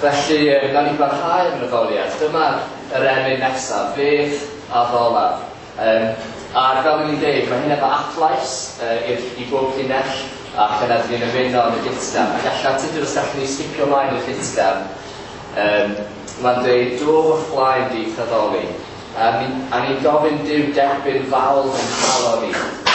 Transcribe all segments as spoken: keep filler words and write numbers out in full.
Felly, uh, nawn ni barhau yn yr addoliad. Dyma'r yr emyn nesaf, Fe'th addolaf. Um, a fel ni'n dweud, mae hyn efo adlais uh, i'r, i bob llinell, ac yna dyn ni'n ymuno yn y gytgan. Ac allan, Tudur, os gallwn ni sgipio mlaen i'r gytgan, um, mae'n dweud, dof o'th flaen di i'th addoli. A ni'n a ni gofyn Duw derbyn fawl yn calon ni.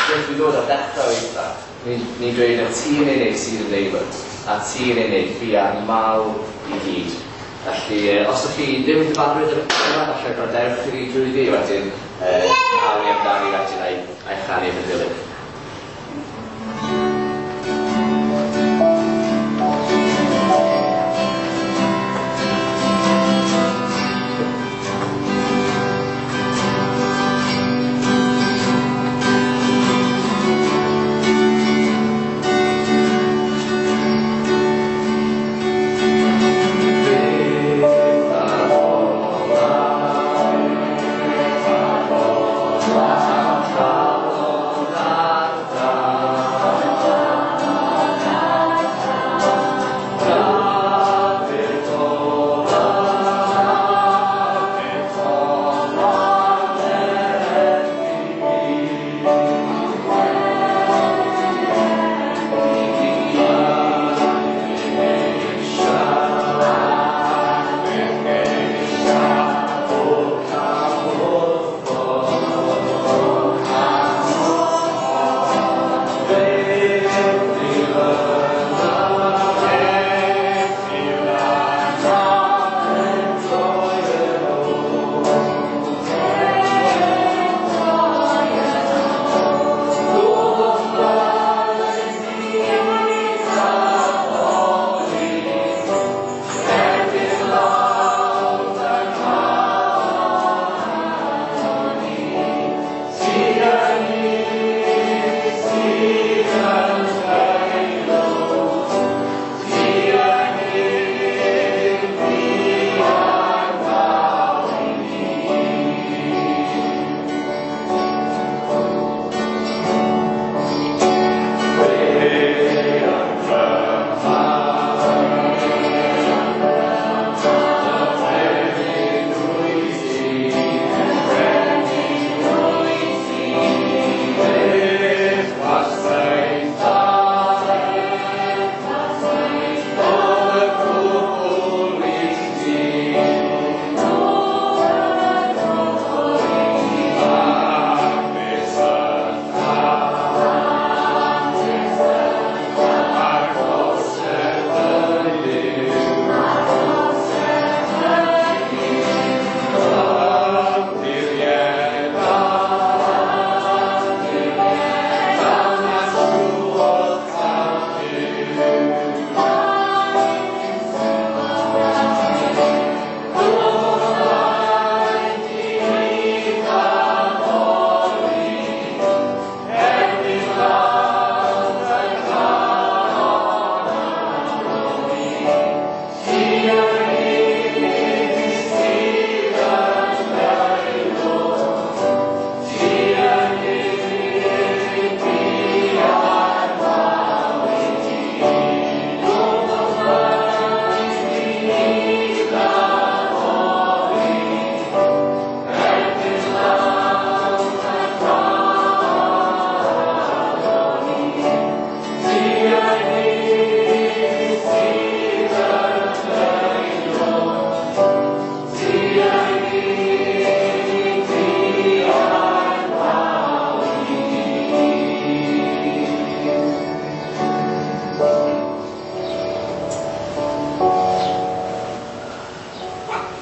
Wrth i ddod ar ddechrau eitha, ni'n ni dweud na ti yn unig sydd yn aelod, a ti yn unig fi a'r mawl i gyd. Felly, os ydych chi ddim yn gyfarwydd efo yma, falle gwrandewch chi drwyddi wedyn, uh, awn ni amdani wedyn a'i, a'i chanu yn y dilyn.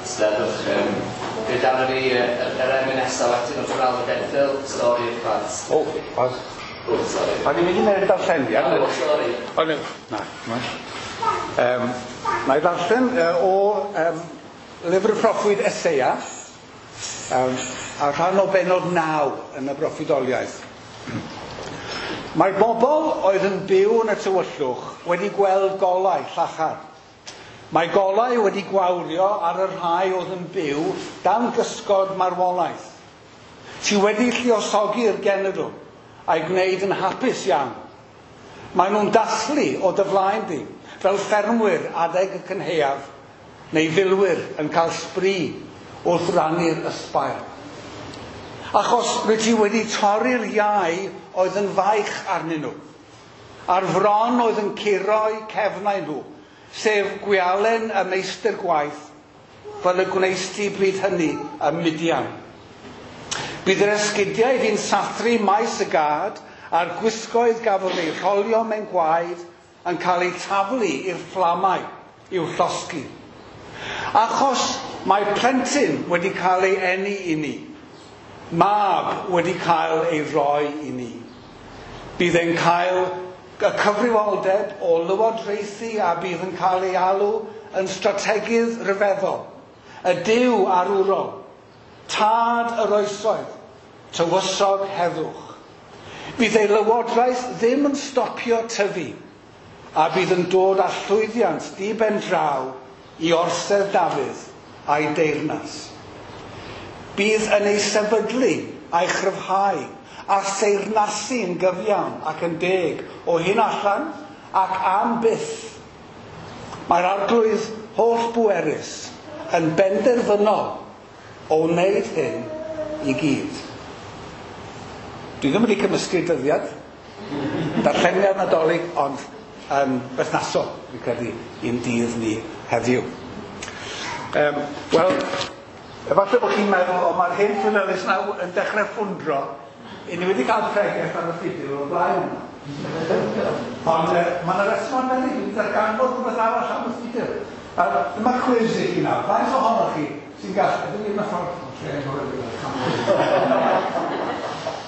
Steddwch. Um, fe dan ni yr emyn nesaf wedyn o'r Ronaldo Genfil, stori'r plant. O, oh, O, sori. O'n i'n mynd i wneud darlleniad. O, sori. O'n i'n... Na, na. Um, na i ddarllen uh, o um, lyfr y proffwyd Eseia, um, a rhan o bennod naw yn y broffwydoliaeth. Mae bobl oedd yn byw yn y tywyllwch wedi gweld golau llachar. Mae golau wedi gwawrio ar y rhai oedd yn byw dan gysgod marwolaeth. Ti wedi lluosogi'r genedl a'i gwneud yn hapus iawn. Maen nhw'n dathlu o dy flaen di, fel ffermwyr adeg y cynhaeaf, neu filwyr yn cael sbri wrth rannu'r ysbail. Achos rwy ti wedi torri'r iau oedd yn faich arnyn nhw, a'r fron oedd yn curo'u cefnau nhw, sef gwialen y meistr gwaith, fel y gwneist ti bryd hynny ym Midian. Bydd yr esgidiau fi'n sathru maes y gad, a'r gwisgoedd gafodd eu rholio mewn gwaed yn cael eu taflu i'r fflamau i'w llosgi. Achos mae plentyn wedi cael ei eni i ni, mab wedi cael ei roi i ni. Bydd e'n cael y cyfrifoldeb o lywodraethu a bydd yn cael ei alw yn strategydd rhyfeddol, y Duw arwrol, tad yr oesoedd, tywysog heddwch. Bydd ei lywodraeth ddim yn stopio tyfu, a bydd yn dod â llwyddiant di ben draw i orsedd Dafydd a'i deyrnas. Bydd yn ei sefydlu a'i chryfhau a theyrnasu'n gyfiawn ac yn deg o hyn allan ac am byth. Mae'r Arglwydd holl bwerus yn benderfynol o wneud hyn i gyd. Dwi ddim wedi cymysgu dyddiad, darlleniad Nadolig, ond yn berthnasol, fi'n credu, i'n dydd ni heddiw. Um, Wel, efallai bod chi'n meddwl, o mae'r hen Llywelys nawr yn dechrau ffwndro. I ni wedi cael pregeth ar y ffidil o'r blaen yma. Ond uh, mae yna reswm arbennig, dwi wedi darganfod rhywbeth arall am y ffidil. A dyma cwis i chi nawr. Faint ohonoch chi sy'n gallu... Ydyn ni'n y ffordd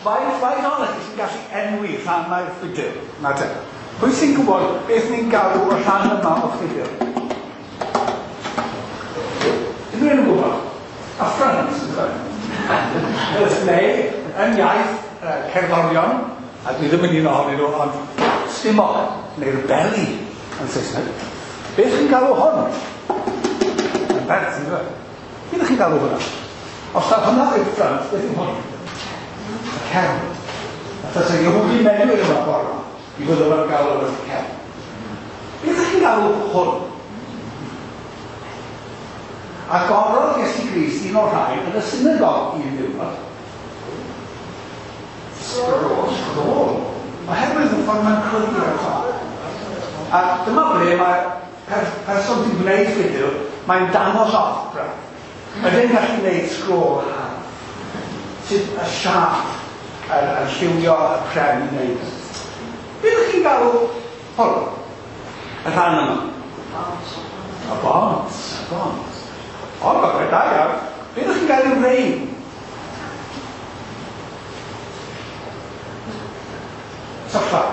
Faint, faint ohonoch chi sy'n gallu enwi rhannau'r ffidil? Na te. Pwy sy'n gwybod beth ni'n galw y rhan yma o'r ffidil? Unrhyw un yn gwybod? A front, neu, yn iaith uh, cerddorion, a dwi ddim yn un ohonyn nhw, ond stumog, neu'r belly yn Saesneg. Beth chi'n galw hwn? Yn bert, yn dweud. Beth chi'n galw hwnna? Os ta hwnna yw'r front, beth yw hwn? Y cefn. A tasa Yehudi Menuhin yma ffordd yma, i fod yma'n galw yn y cefn. Beth chi'n galw hwn? Agorodd Iesu Grist un o'r rhain yn y synagog un diwrnod. Sgrôl. Sgrôl. Oherwydd y ffordd mae'n clydu ar top. A dyma ble mae per, person sy'n gwneud ffidil, mae'n dangos off braf. Mae fe'n gallu gwneud sgrôl hardd. Sydd y siâp yn, yn lliwio y pren i wneud. Beth ydych chi'n galw hwn? Y rhan yma? Y bont. Y bont. O, gorau, da iawn. Beth ydych chi'n gael i'w rein? Tyllau.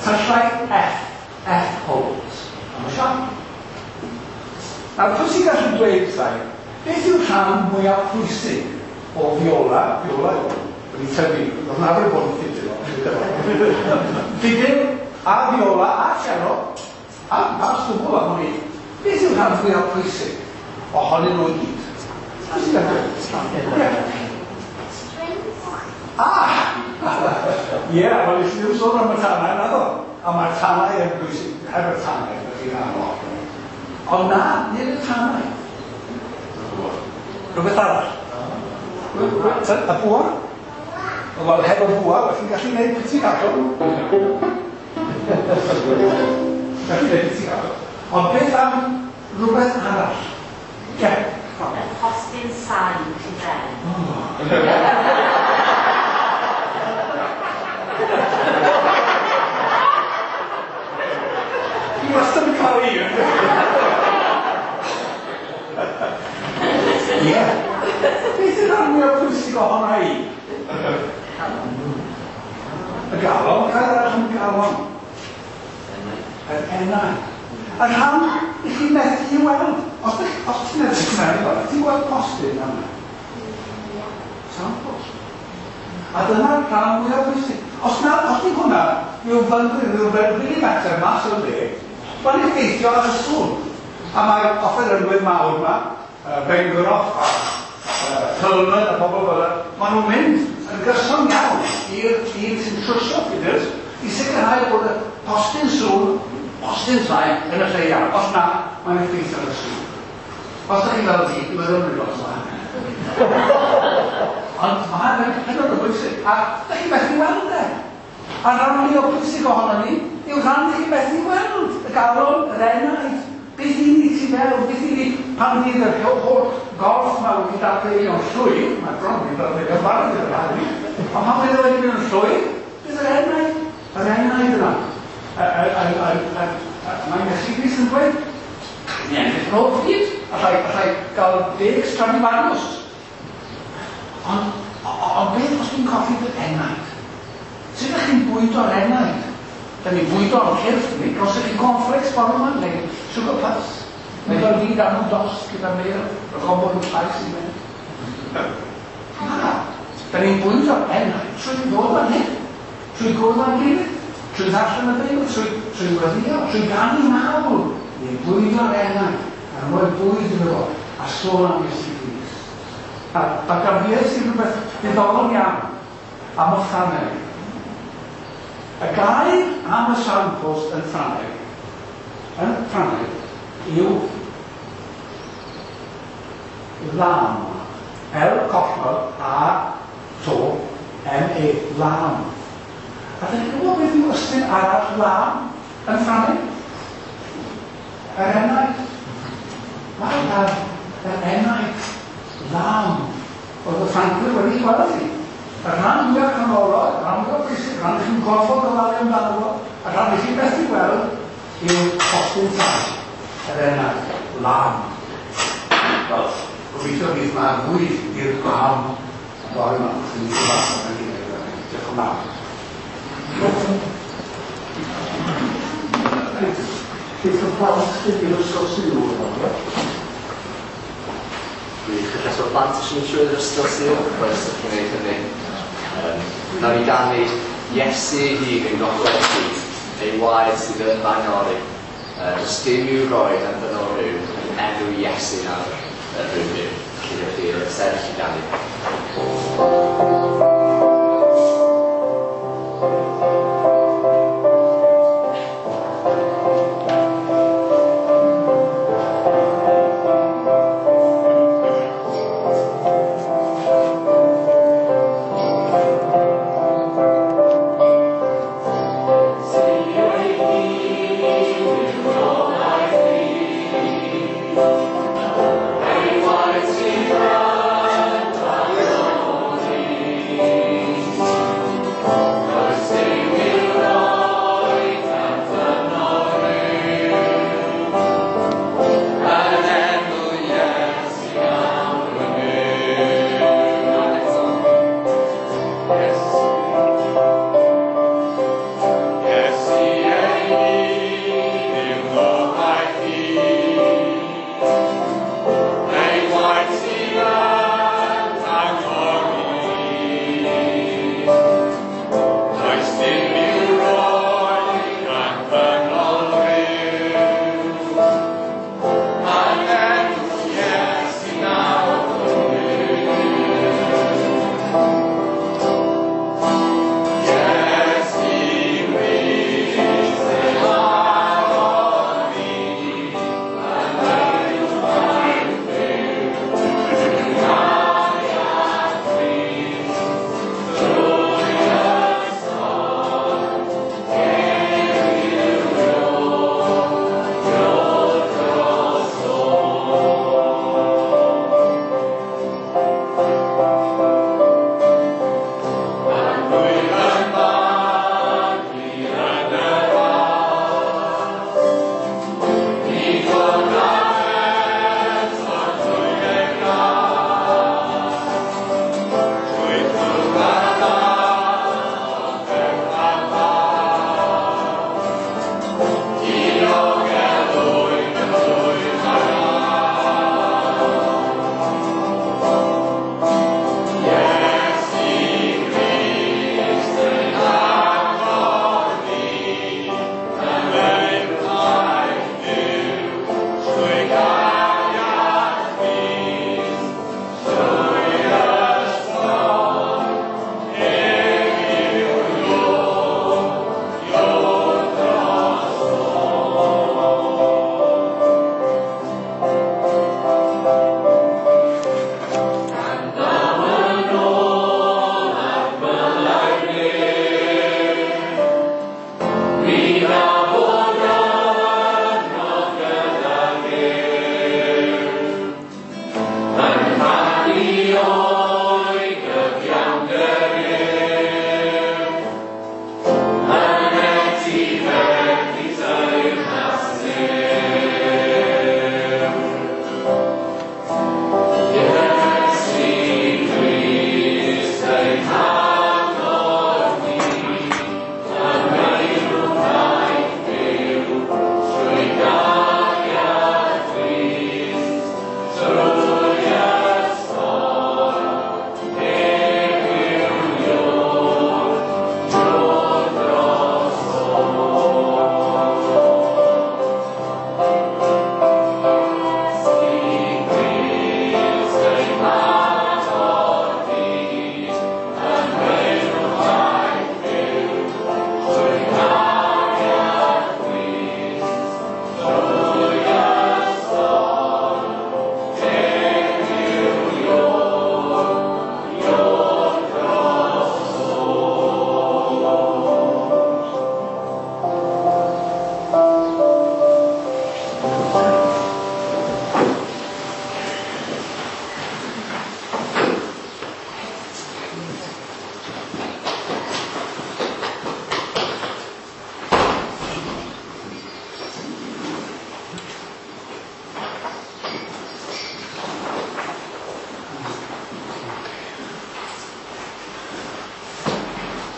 Tyllau F. F holes. Am y siap. Nawr, pwy sy'n gallu dweud wrtha i, beth yw'r rhan mwyaf pwysig o fiola? Fiola yw hwn. Wedi tyfu. Roedd yn arfer bod yn ffidil. Ffidil a fiola a cello a, a stwbl am hwn i. Beth yw'r rhan fwyaf pwysig ohonyn nhw i gyd? Pwy sy'n gallu dweud? Ah! Ie, yeah, wel, nes i ddim sôn am y tanau, naddo. A mae'r tanau yn bwysig, heb y tanau, ydych chi'n anodd. Ond na, nid y tanau. Rhywbeth arall. Y bwa? Wel, heb y bwa, felly'n gallu gwneud pizzicato. Gallu gwneud pizzicato. Ond beth am rhywbeth arall? Ie. Y postyn sain tu fewn. Fi wastad yn cael un. Ie. Beth yw'r rhan mwyaf pwysig ohona i? Y galon, cael arall am galon. Yr enau. Y rhan i chi methu i weld. Os, os ti'n edrych mewn, ti'n gweld postyn yma. Samples. A dyna'r rhan mwyaf pwysig. Os na, os ni hwnna, rhyw fynfryn, rhyw milimetr mas o'r le, mae'n effeithio ar y sŵn. A mae'r offerynwyr mawr yma, uh, Bengroff a uh, Tillman a pobl fel yna, maen nhw'n mynd yn gyson iawn i'r dyn sy'n trwsio ffidils i sicrhau bod y postyn sŵn Postyn sain yn y lle iawn. Os na, mae'n effeithio ar y sŵn. Os ydych chi fel fi, dwi'n meddwl yn lot yma. Ond mae'n hynod o bwysig. A ydych chi methu weld e. A rhan fwy o bwysig ohono ni yw rhan chi methu weld. Y galon, yr enaid. Beth i ni tu mewn, beth i ni pan fydd yr holl gorff yma wedi dadfeilio'n llwyr, mae bron wedi dadfeilio'n barod i'r rhan, ond pan fydd e wedi mynd yn llwyr, bydd yr enaid, yr enaid yna. Mae Iesu Grist yn dweud, ni ennill yn ôl pryd, allai, allai gael deg Stradivarius. Ond, ond beth os dwi'n colli fy enaid? Sut ydych chi'n bwydo'r enaid? Da ni'n bwydo'r cyrff ni, gosod chi cornflakes bore yma, neu sugar puffs. Neu fel fi dan nhw dost gyda mel, rhag ofn bod nhw'n llais i mynd. Na, da ni'n bwydo'r enaid trwy ddod fan hyn, trwy gwrdd â'n gilydd, trwy ddarllen y Beibl, trwy, trwy weddïo, trwy ganu mawl. Ni'n bwydo'r enaid, a rhoi bwyd iddo fo, a sôn am Iesu Grist. A, a gafies i rhywbeth diddorol iawn am y Ffrangeg. Y gair am y signpost yn Ffrangeg, yn Ffrangeg, yw lame. L collnod A to M E, lame. A dych chi'n gwybod beth yw ystyr arall lame yn Ffrangeg? Yr enaid. Mae yr, yr enaid, lame. Oedd y Ffrancwyr wedi gweld hi. Y rhan fwyaf canolog, y rhan fwyaf bwysig, y rhan chi'n gorfod gofalu amdano fo, y rhan i chi'n methu gweld yw postyn sain, yr enaid, lame. Wel, gobeithio fydd yma fwyd i'r lam y bore yma, wrth i ni gyfarfod yn gilydd. Diolch yn fawr. Bydd y plant sydd i'r ysgol Sul yma. Gwych, felly os o'r plant eisiau mynd trwy'r ysgol Sul, croeso chi wneud hynny. Um, Nawn ni ganu Iesu ei hun yn gogledd byd, ei waed sydd yn faenori. Uh, does dim i'w roi dan ddynol rhyw yn enw Iesu nawr yn rhyw fyw. Felly ewch chi sefyll i ganu. Hey, why is he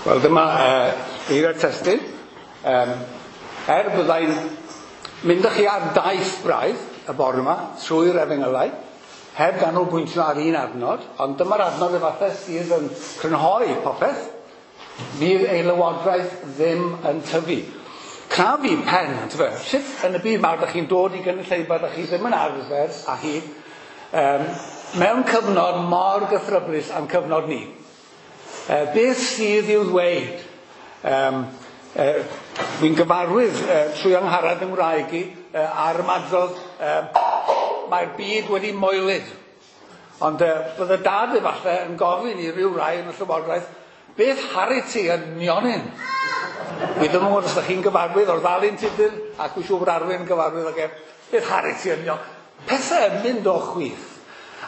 Wel, dyma uh, eiriau'r testun. Um, er byddai'n mynd â chi ar daith braidd y bore yma trwy'r efengylau, heb ganolbwyntio ar un adnod, ond dyma'r adnod efallai sydd yn crynhoi popeth. Fydd ei lywodraeth ddim yn tyfu. Crafu pen, yntyfe? Sut yn y byd mawr ydych chi'n dod i gynulleidfa ydych chi ddim yn arfer â hi, um, mewn cyfnod mor gythryblus am cyfnod ni. Uh, beth sydd i'w ddweud? Um, uh, Wy'n gyfarwydd uh, trwy Angharad yng Ngwraig i uh, ar ymadrodd uh, mae'r byd wedi moelyd. Ond uh, bydde dad efallai yn gofyn i ryw rai yn y llywodraeth, beth haru ti yn nionyn? Wi ddim yn gwybod os ydych chi'n gyfarwydd o'r ddalun tudur, ac wy'n siŵr bod Arwyn yn gyfarwydd ag ef, beth haru ti yn nionyn? Pethau yn mynd o chwith.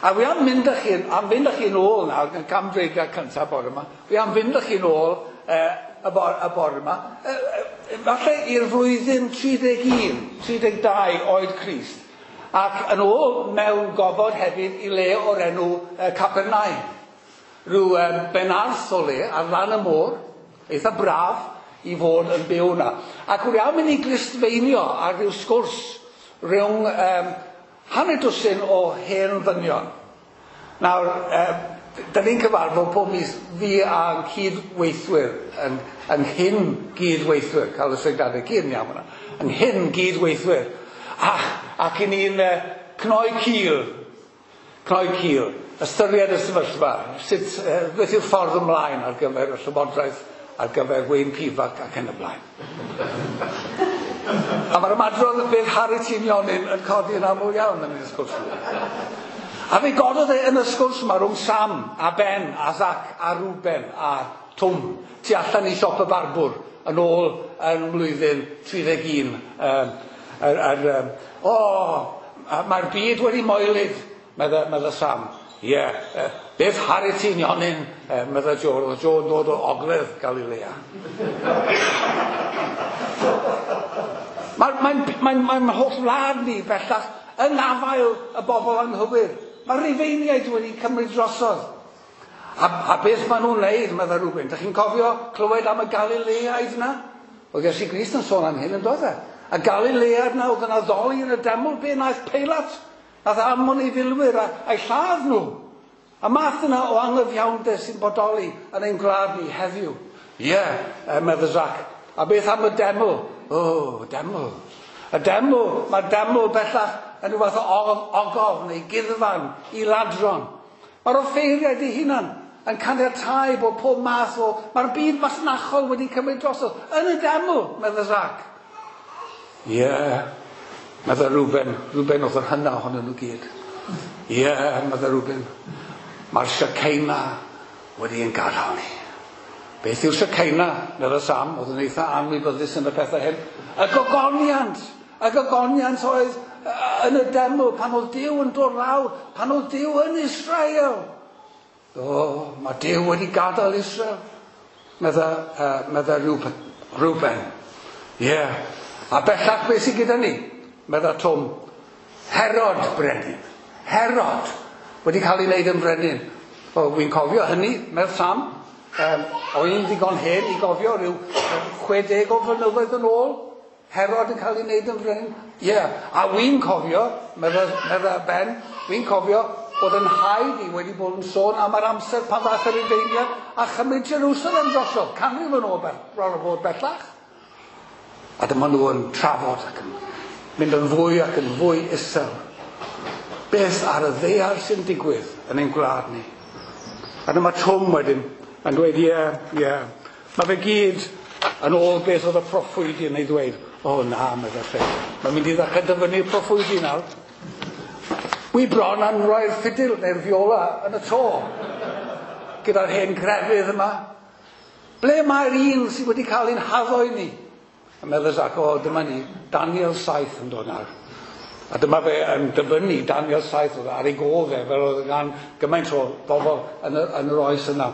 A wi am mynd â chi, am fynd â chi'n ôl nawr, yn camdreigliad cyntaf bore yma, wi am fynd â chi'n ôl eh, y, bore, y bore yma, eh, falle i'r flwyddyn tri deg un, tri deg dau oed Crist, ac yn ôl mewn gofod hefyd i le o'r enw eh, Capernaum. Rhyw eh, benarth o le ar lan y môr, eitha braf i fod yn byw yna. Ac wi am mynd i glustfeinio ar ryw sgwrs rhwng um, hanner dwsin o hen ddynion. Nawr, eh, da ni'n cyfarfod pob mis fi a'n cydweithwyr, yn, yn hyn gydweithwyr, cael y syniadau gyd yn iawn yna, yn hyn gydweithwyr. A, ac i ni'n eh, cnoi cil, cnoi cil, ystyried y sefyllfa, sut, eh, beth yw'r ffordd ymlaen ar gyfer y llywodraeth, ar gyfer Wayne Pivac ac yn y blaen. A mae'r ymadrodd beth haru ti'n nionyn yn codi yn aml iawn yn y sgwrs yma. A fe gododd e yn y sgwrs yma rhwng Sam a Ben a Zac a Ruben a Twm tu allan i siop y barbwr yn ôl yn mlwyddyn tri deg un. Um, er, er, um, o, mae'r byd wedi moelyd, medda, medda Sam. Ie, yeah, uh, beth haru ti'n nionyn, uh, medda Joe. Oedd Joe yn dod o ogledd Galilea. Mae'n mae, mae, mae, mae holl wlad ni bellach yn afael y bobl anghywir. Mae'r Rufeiniaid wedi cymryd drosodd. A, a beth maen nhw'n wneud, medda Reuben? Dych chi'n cofio clywed am y Galileaid yna? Oedd Iesu Grist yn sôn am hyn yn dod e. Y Galileaid yna oedd yn addoli yn y deml, be naeth Peilat? Nath anfon ei filwyr a, a'i lladd nhw. A math yna o angyfiawnder sy'n bodoli yn ein gwlad ni heddiw. Ie, yeah, medda Zac. A beth am y deml? O, oh, deml. Y deml, mae'r deml bellach yn rhyw fath o ogof neu guddfan i ladron. Mae'r offeiriaid eu hunan yn caniatáu bod pob math o... Mae'r byd masnachol wedi cymryd drosodd yn y deml, medda Zac. Ie, yeah, medda Reuben. Reuben oedd yr hynna ohonyn nhw gyd. Ie, yeah, medda Reuben. Mae'r Shekinah wedi ein gadael ni. Beth yw'r Shekinah, medda Sam, oedd yn eitha anwybyddus yn y pethau hyn. Y gogoniant, y gogoniant oedd yn y deml pan oedd Duw yn dod lawr, pan oedd Duw yn Israel. O, mae Duw wedi gadael Israel, medda, uh, medda Reuben. Ie, yeah. A bellach beth sydd gyda ni, medda Twm. Herod brenin, Herod wedi cael ei wneud yn brenin. O, wy'n cofio hynny, medd Sam. Um, o'n i'n ddigon hen i gofio rhyw chwe deg o flynyddoedd yn ôl, Herod yn cael ei wneud yn frenin. Ie, yeah. A wy'n cofio, medda, medda Ben, wy'n cofio bod yn nhaid i wedi bod yn sôn am yr amser pan ddaeth yr Rufeiniaid a chymryd Jerusalem drosodd, canrif yn ôl bron o fod bellach. A dyma nhw yn trafod ac yn mynd yn fwy ac yn fwy isel. Beth ar y ddaear sy'n digwydd yn ein gwlad ni? A dyma Twm wedyn yn dweud, ie, yeah, ie. Yeah. Mae fe gyd yn ôl beth oedd y proffwydi yn ei ddweud. O na, medda fe. Mae'n mynd i ddechrau dyfynnu'r proffwydi nawr. Wi bron am roi'r ffidil neu'r fiola yn y to. Gyda'r hen grefydd yma. Ble mae'r un sydd wedi cael ein haddo i ni? A medda Zac, o, dyma ni, Daniel saith yn dod nawr. A dyma fe yn dyfynnu Daniel saith oedd ar ei gof e, fel oedd gan gymaint o bobl yn, y, yn yr oes yna.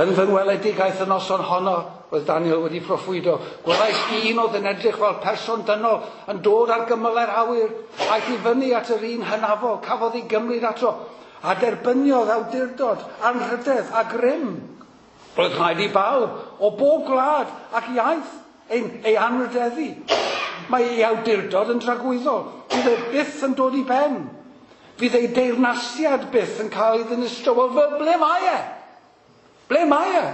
Yn fy ngweledigaeth y noson honno, oedd Daniel wedi proffwydo, gwelais un oedd yn edrych fel person dynol yn dod ar gymylau'r awyr, aeth i fyny at yr un hynafol, cafodd ei gymryd ato, a derbyniodd awdurdod, anrhydedd a grym. Roedd rhaid i bawb o bob gwlad ac iaith ei, ei anrhydeddu. Mae ei awdurdod yn dragwyddol. Fydd e byth yn dod i ben. Fydd ei deyrnasiad byth yn cael ei ddinistrio. Wel, fel ble mae e? Ble mae e?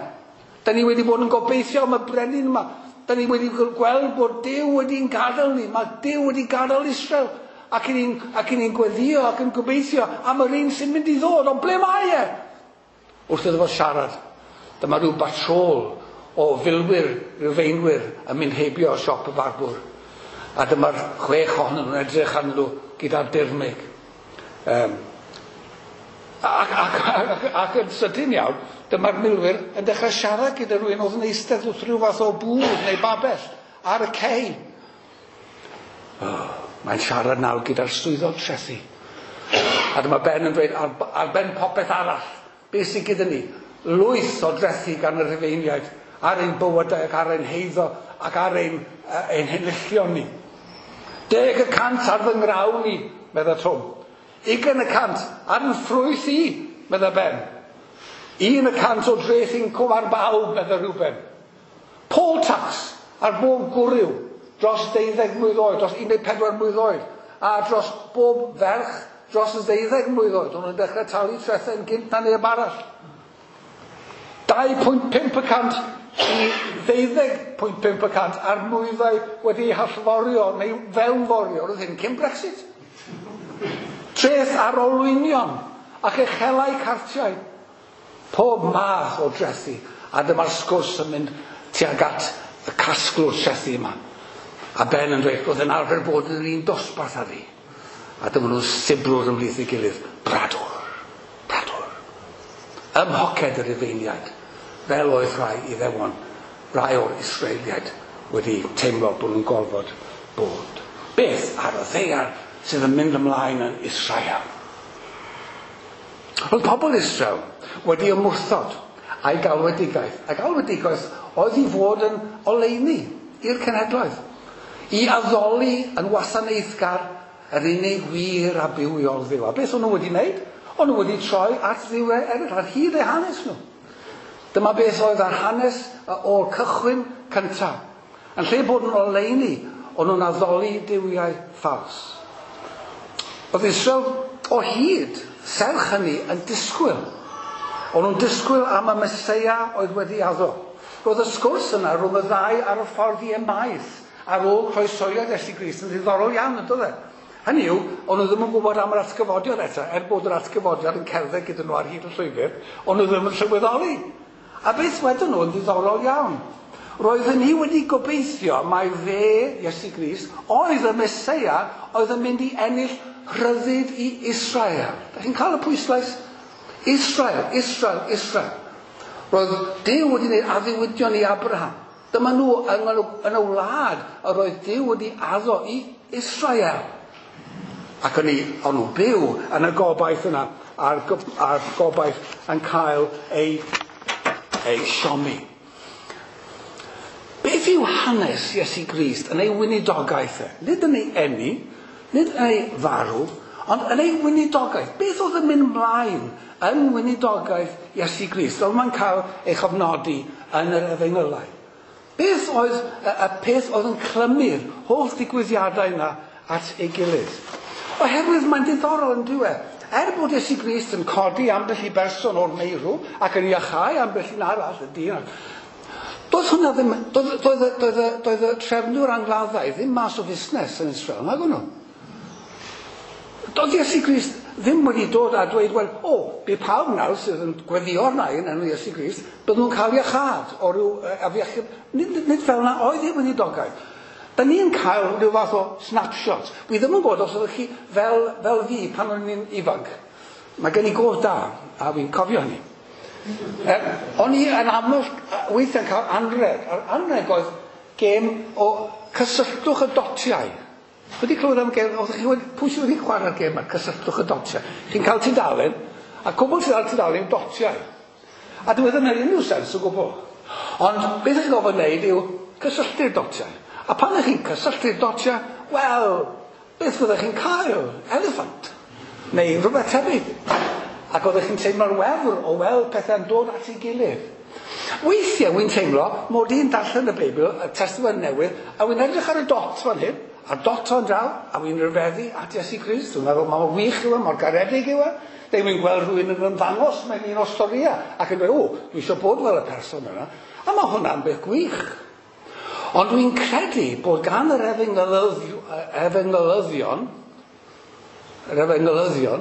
Da ni wedi bod yn gobeithio am y brenin yma. Da ni wedi gweld bod Duw wedi'n gadael ni. Mae Duw wedi gadael Israel. Ac ni'n ac ni'n gweddio ac yn gobeithio am yr un sy'n mynd i ddod. Ond ble mae e? Wrth iddo fo siarad, dyma rhyw batrôl o filwyr, Rufeinwyr yn mynd heibio siop y barbwr. A dyma'r chwech ohonyn nhw'n edrych arnyn nhw gyda'r dirmyg. Um, ac, ac, ac, ac yn sydyn iawn, dyma'r milwyr yn dechrau siarad gyda rhywun oedd yn eistedd wrth rhyw fath o bwrdd neu babell ar y cei. Oh, mae'n siarad nawr gyda'r swyddog trethu. A dyma Ben yn dweud, ar, ar ben popeth arall, beth sydd gyda ni? Lwyth o drethu gan y Rhufeiniaid ar ein bywydau ac ar ein heiddo ac ar ein, uh, ein henillion ni. Deg y cant ar fy ngrawn i, medda Twm. Ugain y cant ar yn ffrwyth i, medda Ben. Un y cant o dreth incwm ar bawb, medda Reuben. Poll tax ar bob gwryw dros deuddeg mlwydd oed, dros un deg pedwar mlwydd oed, a dros bob ferch dros y ddeuddeg mlwydd oed. O'n nhw'n dechrau talu trethau yn gynt na neb arall. dau pwynt pump y cant i ddeuddeg pwynt pump y cant ar nwyddau wedi eu hallforio neu fewnforio. Roedd hyn cyn Brexit. Treth ar olwynion ac echelau cartiau. Pob math o drethu. A dyma'r sgwrs yn mynd tuag at y casglwr trethu yma. A Ben yn dweud, roedd yn arfer bod yn yr un dosbarth â fi. A dyma nhw'n sibrwd ymhlith ei gilydd. Bradwr, bradwr. Ym mhoced y Rufeiniaid, fel oedd rhai Iddewon, rhai o'r Israeliaid wedi teimlo bod nhw'n gorfod bod. Beth ar y ddaear sydd yn mynd ymlaen yn Israel? Roedd pobl Israel wedi ymwrthod a'i galwedigaeth. A galwedigaeth oedd i fod yn oleuni i'r cenhedloedd, i addoli yn wasanaethgar yr unig wir a bywiol Dduw. A beth o'n nhw wedi wneud? O'n nhw wedi troi at dduwiau eraill ar hyd eu hanes nhw. Dyma beth oedd ar hanes o'r cychwyn cyntaf. Yn lle bod yn oleuni, o'n nhw'n addoli duwiau ffals. Oedd Israel o hyd, serch hynny, yn disgwyl. O'n nhw'n disgwyl am y Meseia oedd wedi addo. Roedd y sgwrs yna rhwng y ddau ar y ffordd i Emaus ar ôl croesoiad Iesu Grist yn ddiddorol iawn, yn doedd e? Hynny yw, o'n nhw ddim yn gwybod am yr atgyfodiad eto, er bod yr atgyfodiad yn cerdded gyda nhw ar hyd y llwybr, o'n nhw ddim yn sylweddoli. A beth wedyn nhw yn ddiddorol iawn. Roedden ni wedi gobeithio mai fe, Iesu Grist, oedd y Meseia oedd yn mynd i ennill rhyddid i Israel. Da chi'n cael y pwyslais? Israel, Israel, Israel. Roedd Duw wedi gwneud addewidion i Abraham. Dyma nhw yn, yn y wlad yr oedd Duw wedi addo i Israel. Ac o'n, i, o'n nhw byw yn y gobaith yna, a'r, a'r gobaith yn cael ei, ei siomi. Beth yw hanes Iesu Grist yn ei weinidogaeth e? Nid yn ei eni, nid yn ei farw, ond yn ei weinidogaeth. Beth oedd yn mynd mlaen yn weinidogaeth Iesu Grist? Fel mae'n cael ei chofnodi yn yr Efengylau. Beth oedd y, y peth oedd yn clymu'r holl ddigwyddiadau yna at ei gilydd? Oherwydd mae'n diddorol yn dyw e. Er bod Iesu Grist yn codi ambell i berson o'r meirw ac yn iachau ambell un arall, y dyn, doedd hwnna ddim, doedd, doedd, doedd, doedd y trefnwyr angladdau ddim mas o fusnes yn Israel, nag o'n nhw? Doedd Iesu Grist ddim wedi dod a dweud, wel, o, bydd pawb nawr sydd yn gweddio arna i yn enw Iesu Grist, byddwn nhw'n cael iachâd o ryw afiechyd. Nid, nid fel yna oedd ei weinidogaeth. Da ni'n cael rhyw fath o snapshot. Wi ddim yn gwybod os ydych chi fel, fel fi pan o'n i'n ifanc. Mae gen i gof da, a fi'n cofio hynny. E, o'n i yn aml weithiau'n cael anreg. A'r anreg oedd gêm o cysylltwch y dotiau. Wedi clywed am gêm, oeddech chi wedi, pwy sydd wedi chwarae'r gêm yma, cysylltwch y dotiau. Chi'n cael tudalen, a cwbl sydd ar tudalen yw dotiau. A dwi ddim yn unrhyw sens o gwbl. Ond beth chi'n gofod wneud yw cysylltu'r dotiau. A pan ych chi'n cysylltu'r dotiau, wel, beth fyddech chi'n cael? Elephant. Neu rhywbeth tebyg. Ac oeddech chi'n teimlo'r wefr o weld pethau'n dod at ei gilydd. Weithiau wy'n teimlo mod i'n darllen y Beibl, y Testament Newydd, a wy'n edrych ar y dot fan hyn, a'r dot o'n draw, a wy'n rhyfeddu at Iesu Grist. Dwi'n meddwl, mor wych yw e, mor garedig yw e. Neu wy'n gweld rhywun yn ymddangos mewn un o'r storïau, ac yn dweud, o, dwi eisiau bod fel y person yna. A mae hwnna'n beth gwych. Ond dwi'n credu bod gan yr efengylyddion, yr efengylyddion,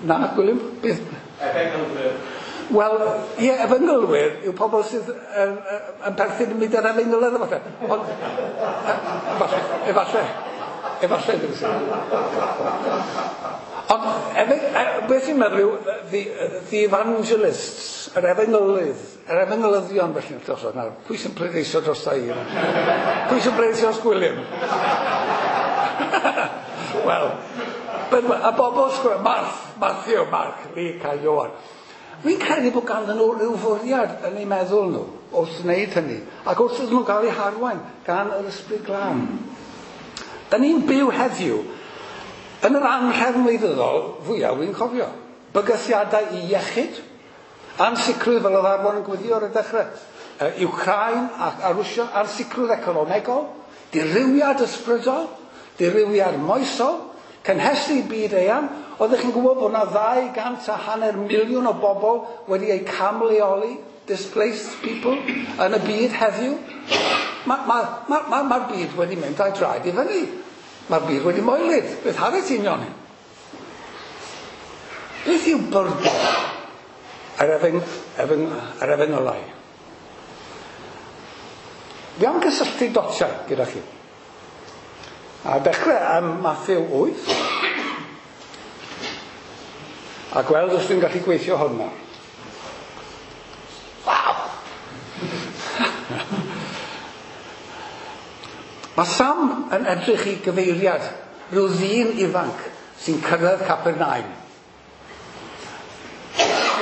na, Gwilym, beth? Efengylwyr. Wel, ie, efengylwyr yw pobl sydd yn, yn perthyn i mudiad efengylydd, efallai. Ond, efallai, efallai, efallai, ddim sy'n. Ond, efe, beth i'n meddwl yw, the, the evangelists, yr efengylydd, yr efengylyddion felly, dros nawr, pwy sy'n pleidleisio dros i? Pwy sy'n pleidleisio dros Gwilym? Wel, y bobl sgwr, Marth, Matthew, Mark, Luke a Ioan. Fi'n credu bod ganddyn nhw rhyw fwriad yn eu meddwl nhw wrth wneud hynny, ac wrth iddyn nhw gael eu harwain gan yr Ysbryd Glân. Da ni'n byw heddiw yn yr anhrefn wleidyddol fwyaf wy'n cofio. Bygythiadau i iechyd, ansicrwydd fel oedd Arfon yn gwyddio ar y dechrau, Wcráin ac a Rwsia, ansicrwydd economegol, dirywiad ysbrydol, dirywiad moesol, cynhesu byd eang. Oeddech chi'n gwybod bod yna ddau gant a hanner miliwn o bobl wedi eu camleoli, displaced people, yn y byd heddiw? Mae'r ma, ma, ma, ma byd wedi mynd â'i draed i fyny. Mae'r byd wedi moelyd. Beth hanes union hyn? Beth yw byrdwn yr efeng, efeng, yr efengylau? Fi am gysylltu dotiau gyda chi. A dechrau am Matthew wyth. A gweld os dwi'n gallu gweithio hwn nawr. Waw! Mae Sam yn edrych i gyfeiriad rhyw ddyn ifanc sy'n cyrraedd Capernaum.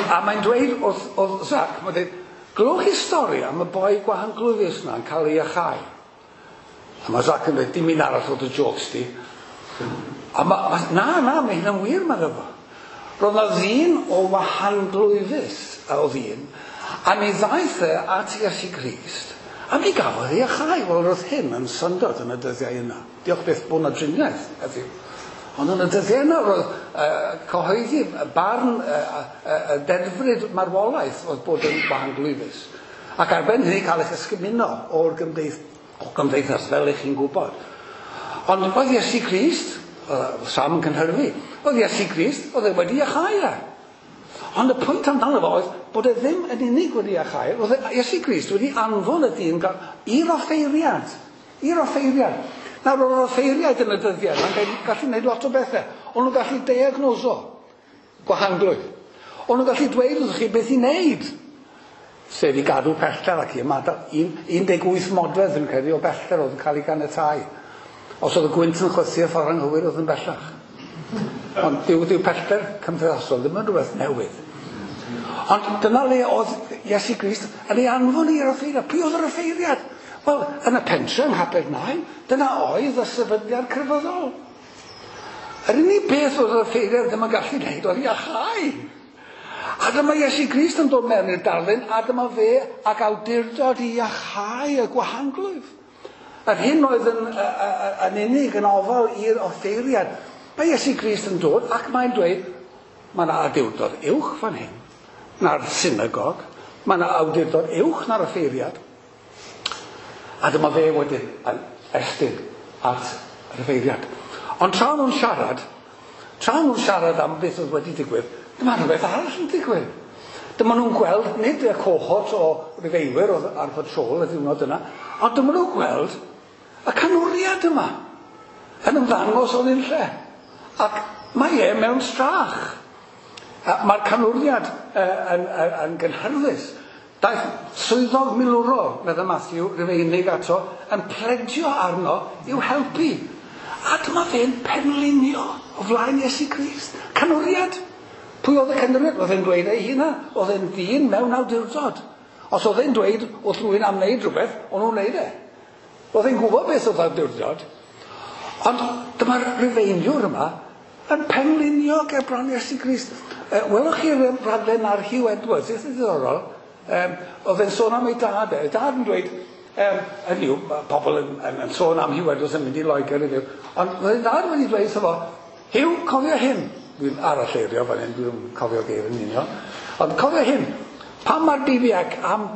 A mae'n dweud wrth, wrth Zac, mae'n dweud, glywch chi stori am y boi gwahanglwyfus yna yn cael ei iachau. A mae Zac yn dweud, dim un arall o dy jokes di. A ma, ma, na, na, mae hynna'n wir, mae'n efo. Roedd yna ddyn o wahanglwyfus o ddyn, a mi ddaeth e at Iesu Grist, a mi gafodd ei iachau. Wel, roedd hyn yn syndod yn y dyddiau yna. Diolch byth bod yna driniaeth heddiw. Ond yn y dyddiau yna roedd uh, cyhoeddi barn uh, uh, dedfryd marwolaeth oedd bod yn wahanglwyfus. Ac ar ben hynny cael eich ysgymuno o'r gymdeith, o gymdeithas, fel eich chi'n gwybod. Ond oedd Iesu Grist, uh, Sam yn cynhyrfu, oedd Iesu Grist, oedd e wedi iachau e. Ond y pwynt amdano fo oedd bod e ddim yn unig wedi iachau, oedd Iesu Grist wedi anfon y dyn i'r offeiriad. I'r offeiriad. Nawr, oedd yr offeiriaid yn y dyddiau yma'n gallu gwneud lot o bethau. O'n nhw'n gallu diagnoso gwahanglwydd. O'n nhw'n gallu dweud wrthych chi beth i wneud. Sef i gadw pellter ac i ymadael. un deg wyth modfedd yn credu o bellter oedd yn cael ei ganiatáu. Os oedd y gwynt yn chwythu y ffordd anghywir oedd yn bellach. Ond dyw, dyw pellter cymdeithasol ddim yn rhywbeth newydd. Ond dyna le oedd Iesu Grist yn ei anfon i'r offeiriad. Pwy oedd yr offeiriad? Wel, yn y pentre yng Nghapernaum, dyna oedd y sefydliad crefyddol. Yr unig beth oedd yr offeiriad ddim yn gallu gwneud oedd iachau. A dyma Iesu Grist yn dod mewn i'r darlun, a dyma fe ac awdurdod i iachau y gwahanglwyf. Yr hyn oedd yn, yn unig yn ofal i'r offeiriad. Mae Iesu Grist yn dod ac mae'n dweud, mae yna awdurdod uwch fan hyn na'r synagog, mae yna awdurdod uwch na'r offeiriad. A dyma fe wedyn yn estyn at yr offeiriad. Ond tra nhw'n siarad, tra nhw'n siarad am beth oedd wedi digwydd, dyma rhywbeth arall yn digwydd. Dyma nhw'n gweld, nid y cohort o Rufeinwyr oedd ar patrol y diwrnod yna, ond dyma nhw'n gweld y canwriad yma yn ymddangos o'n un lle. Ac mae e mewn strach. Mae'r canwriad yn, yn, yn gynhyrfus. Daeth swyddog milwrol, meddai Matthew, Rufeinig ato, yn pledio arno i'w helpu. A dyma fe'n penlinio o flaen Iesu Grist. Canwriad. Pwy oedd y canwriad? Oedd e'n dweud ei hunan. Oedd e'n ddyn mewn awdurdod. Os oedd e'n dweud wrth rhywun am wneud rhywbeth, o'n nhw'n wneud e. Oedd e'n gwybod beth oedd awdurdod. Ond dyma'r Rufeiniwr yma yn penlinio ger bron Iesu Grist. Welwch chi'r rhaglen ar Hugh Edwards, eitha ddiddorol. Um, oedd e'n sôn am ei dad e. Ei dad yn dweud, um, hynny yw, pobl yn, yn, yn sôn am Huw Edwards yn mynd i Loegr i fyw, ond oedd ei dad wedi dweud wrtho fo, Huw, cofio hyn. Dwi'n aralleirio fan hyn, dwi'n cofio geir yn union. Ond cofio hyn, pan mae'r B B C am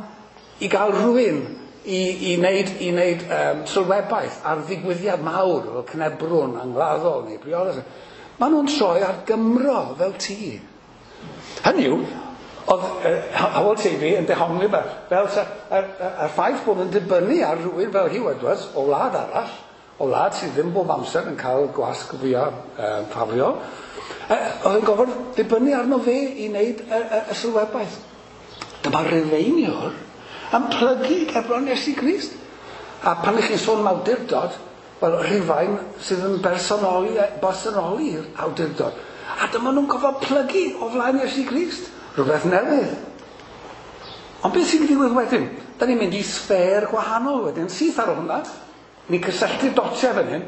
i gael rhywun i, i wneud, i wneud um, sylwebaeth ar ddigwyddiad mawr fel cnebrwn, angladdol neu briodas, maen nhw'n troi ar Gymro fel ti. Hynny yw, oedd uh, Hywel Teifi yn dehongli yma, fel sa, a'r, a'r ffaith bod yn dibynnu ar rhywun fel Huw Edwards o wlad arall, o wlad sydd ddim bob amser yn cael gwasg fwyaf um, ffafriol, uh, oedd yn gofod dibynnu arno fe i wneud y, y, y sylwebaeth. Dyma Rufeiniwr yn plygu gerbron Iesu Grist. A pan ych chi'n sôn am awdurdod, wel, Rhufain sydd yn bersonoli, bersonoli'r awdurdod. A dyma nhw'n gofod plygu o flaen Iesu Grist. Rhywbeth newydd. Ond beth sy'n digwydd wedyn? Da ni'n mynd i sffêr gwahanol wedyn, syth ar hwnna. Ni'n cysylltu'r dotiau fan hyn.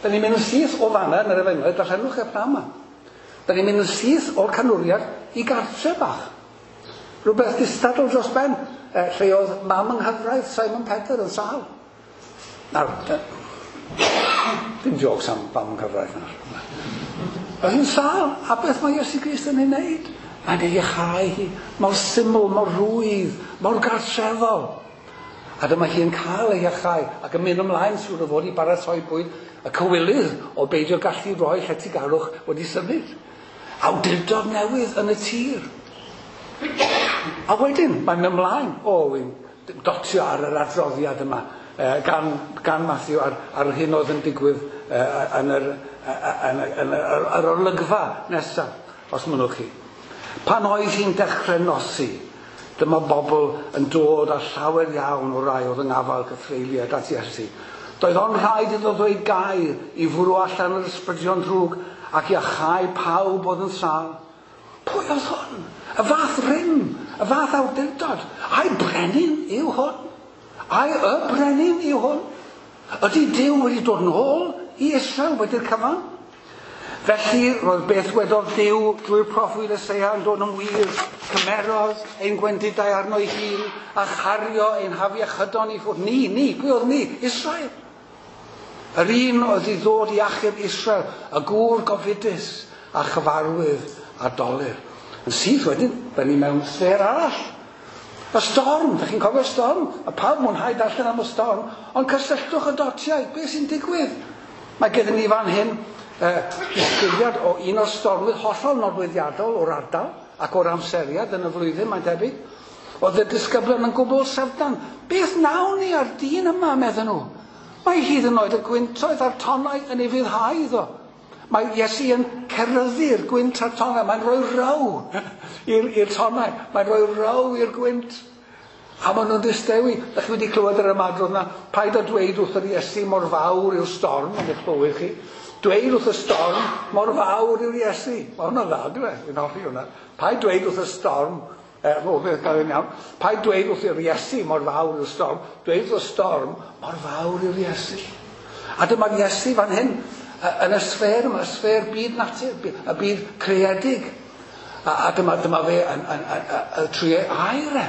Da ni'n mynd yn syth o fanna yn yr efengyl, darllenwch e pnawn yma. Da ni'n mynd yn syth o'r canwriad i gartre bach. Rhywbeth distadl dros ben, eh, lle oedd mam yng nghyfraith Simon Pedr yn sâl. Nawr, dim jokes am mam yng nghyfraith nawr. Oedd hi'n sâl, a beth mae Iesu Grist yn ei wneud? Mae'n ei iachau hi, mor syml, mor rwydd, mor gartrefol. A dyma hi'n cael ei iachau ac yn mynd ymlaen siŵr o fod i baratoi bwyd y cywilydd o beidio gallu rhoi lletygarwch wedi symud. Awdurdod newydd yn y tir. A wedyn, mae'n mynd ymlaen. O, wi'n dotio ar yr adroddiad yma eh, gan, gan Matthew ar, ar hyn oedd yn digwydd eh, yn yr, yn, yn, yr, yr olygfa nesaf, os mynnwch chi. Pan oedd hi'n dechrau nosi, dyma bobl yn dod â llawer iawn o rai oedd yng ngafael cythreuliad at Iesu. Doedd ond rhaid iddo ddweud gair i fwrw allan yr ysbrydion drwg ac i achau pawb oedd yn sâl. Pwy oedd hwn? Y fath rym, y fath awdurdod. Ai brenin yw hwn? Ai y brenin yw hwn? Ydy Duw wedi dod nôl i Israel wedi'r cyfan? Felly, roedd beth wedodd Duw drwy'r proffwyd Eseia yn dod yn wir. Cymerodd ein gwendidau arno ei hun a chario ein hafiechydon i ffwrdd. Ni, ni, pwy oedd ni? Israel. Yr un oedd i ddod i achub Israel, y gŵr gofidus a chyfarwydd a dolur. Yn syth wedyn, da ni mewn sffêr arall. Y storm, da chi'n cofio'r storm? A pawb mwynhau darllen am y storm, ond cysylltwch y dotiau, beth sy'n digwydd? Mae gyda ni fan hyn eh, disgrifiad o un o'r stormydd hollol nodweddiadol o'r ardal ac o'r amseriad yn y flwyddyn, mae'n debyg. Oedd y disgyblion yn gwbl syfrdan. Beth nawn ni ar dyn yma, medden nhw? Mae hyd yn oed y gwyntoedd a'r tonnau yn ei fuddhau iddo. Mae Iesu yn ceryddu'r gwynt a'r tonnau. Mae'n rhoi row i'r tonnau. Mae'n rhoi row i'r gwynt. A maen nhw'n distewi. Dach chi wedi clywed yr ymadrodd yna? Paid â dweud wrth yr Iesu mor fawr yw'r storm yn eich bywyd chi. Dweud wrth y storm mor fawr yw'r Iesu. Mae hwnna'n dda, dwi e? Fi'n hoffi hwnna. Paid dweud wrth y storm, eh, o, beth gael yn iawn. Paid dweud wrth yr Iesu mor fawr yw'r storm. Dweud wrth y storm mor fawr yw'r Iesu. A dyma'r Iesu fan hyn, yn y sffêr yma, y sffêr byd natur, y byd creadig. A, a dyma, dyma fe yn, yn, yn, yn, trwy ei air e.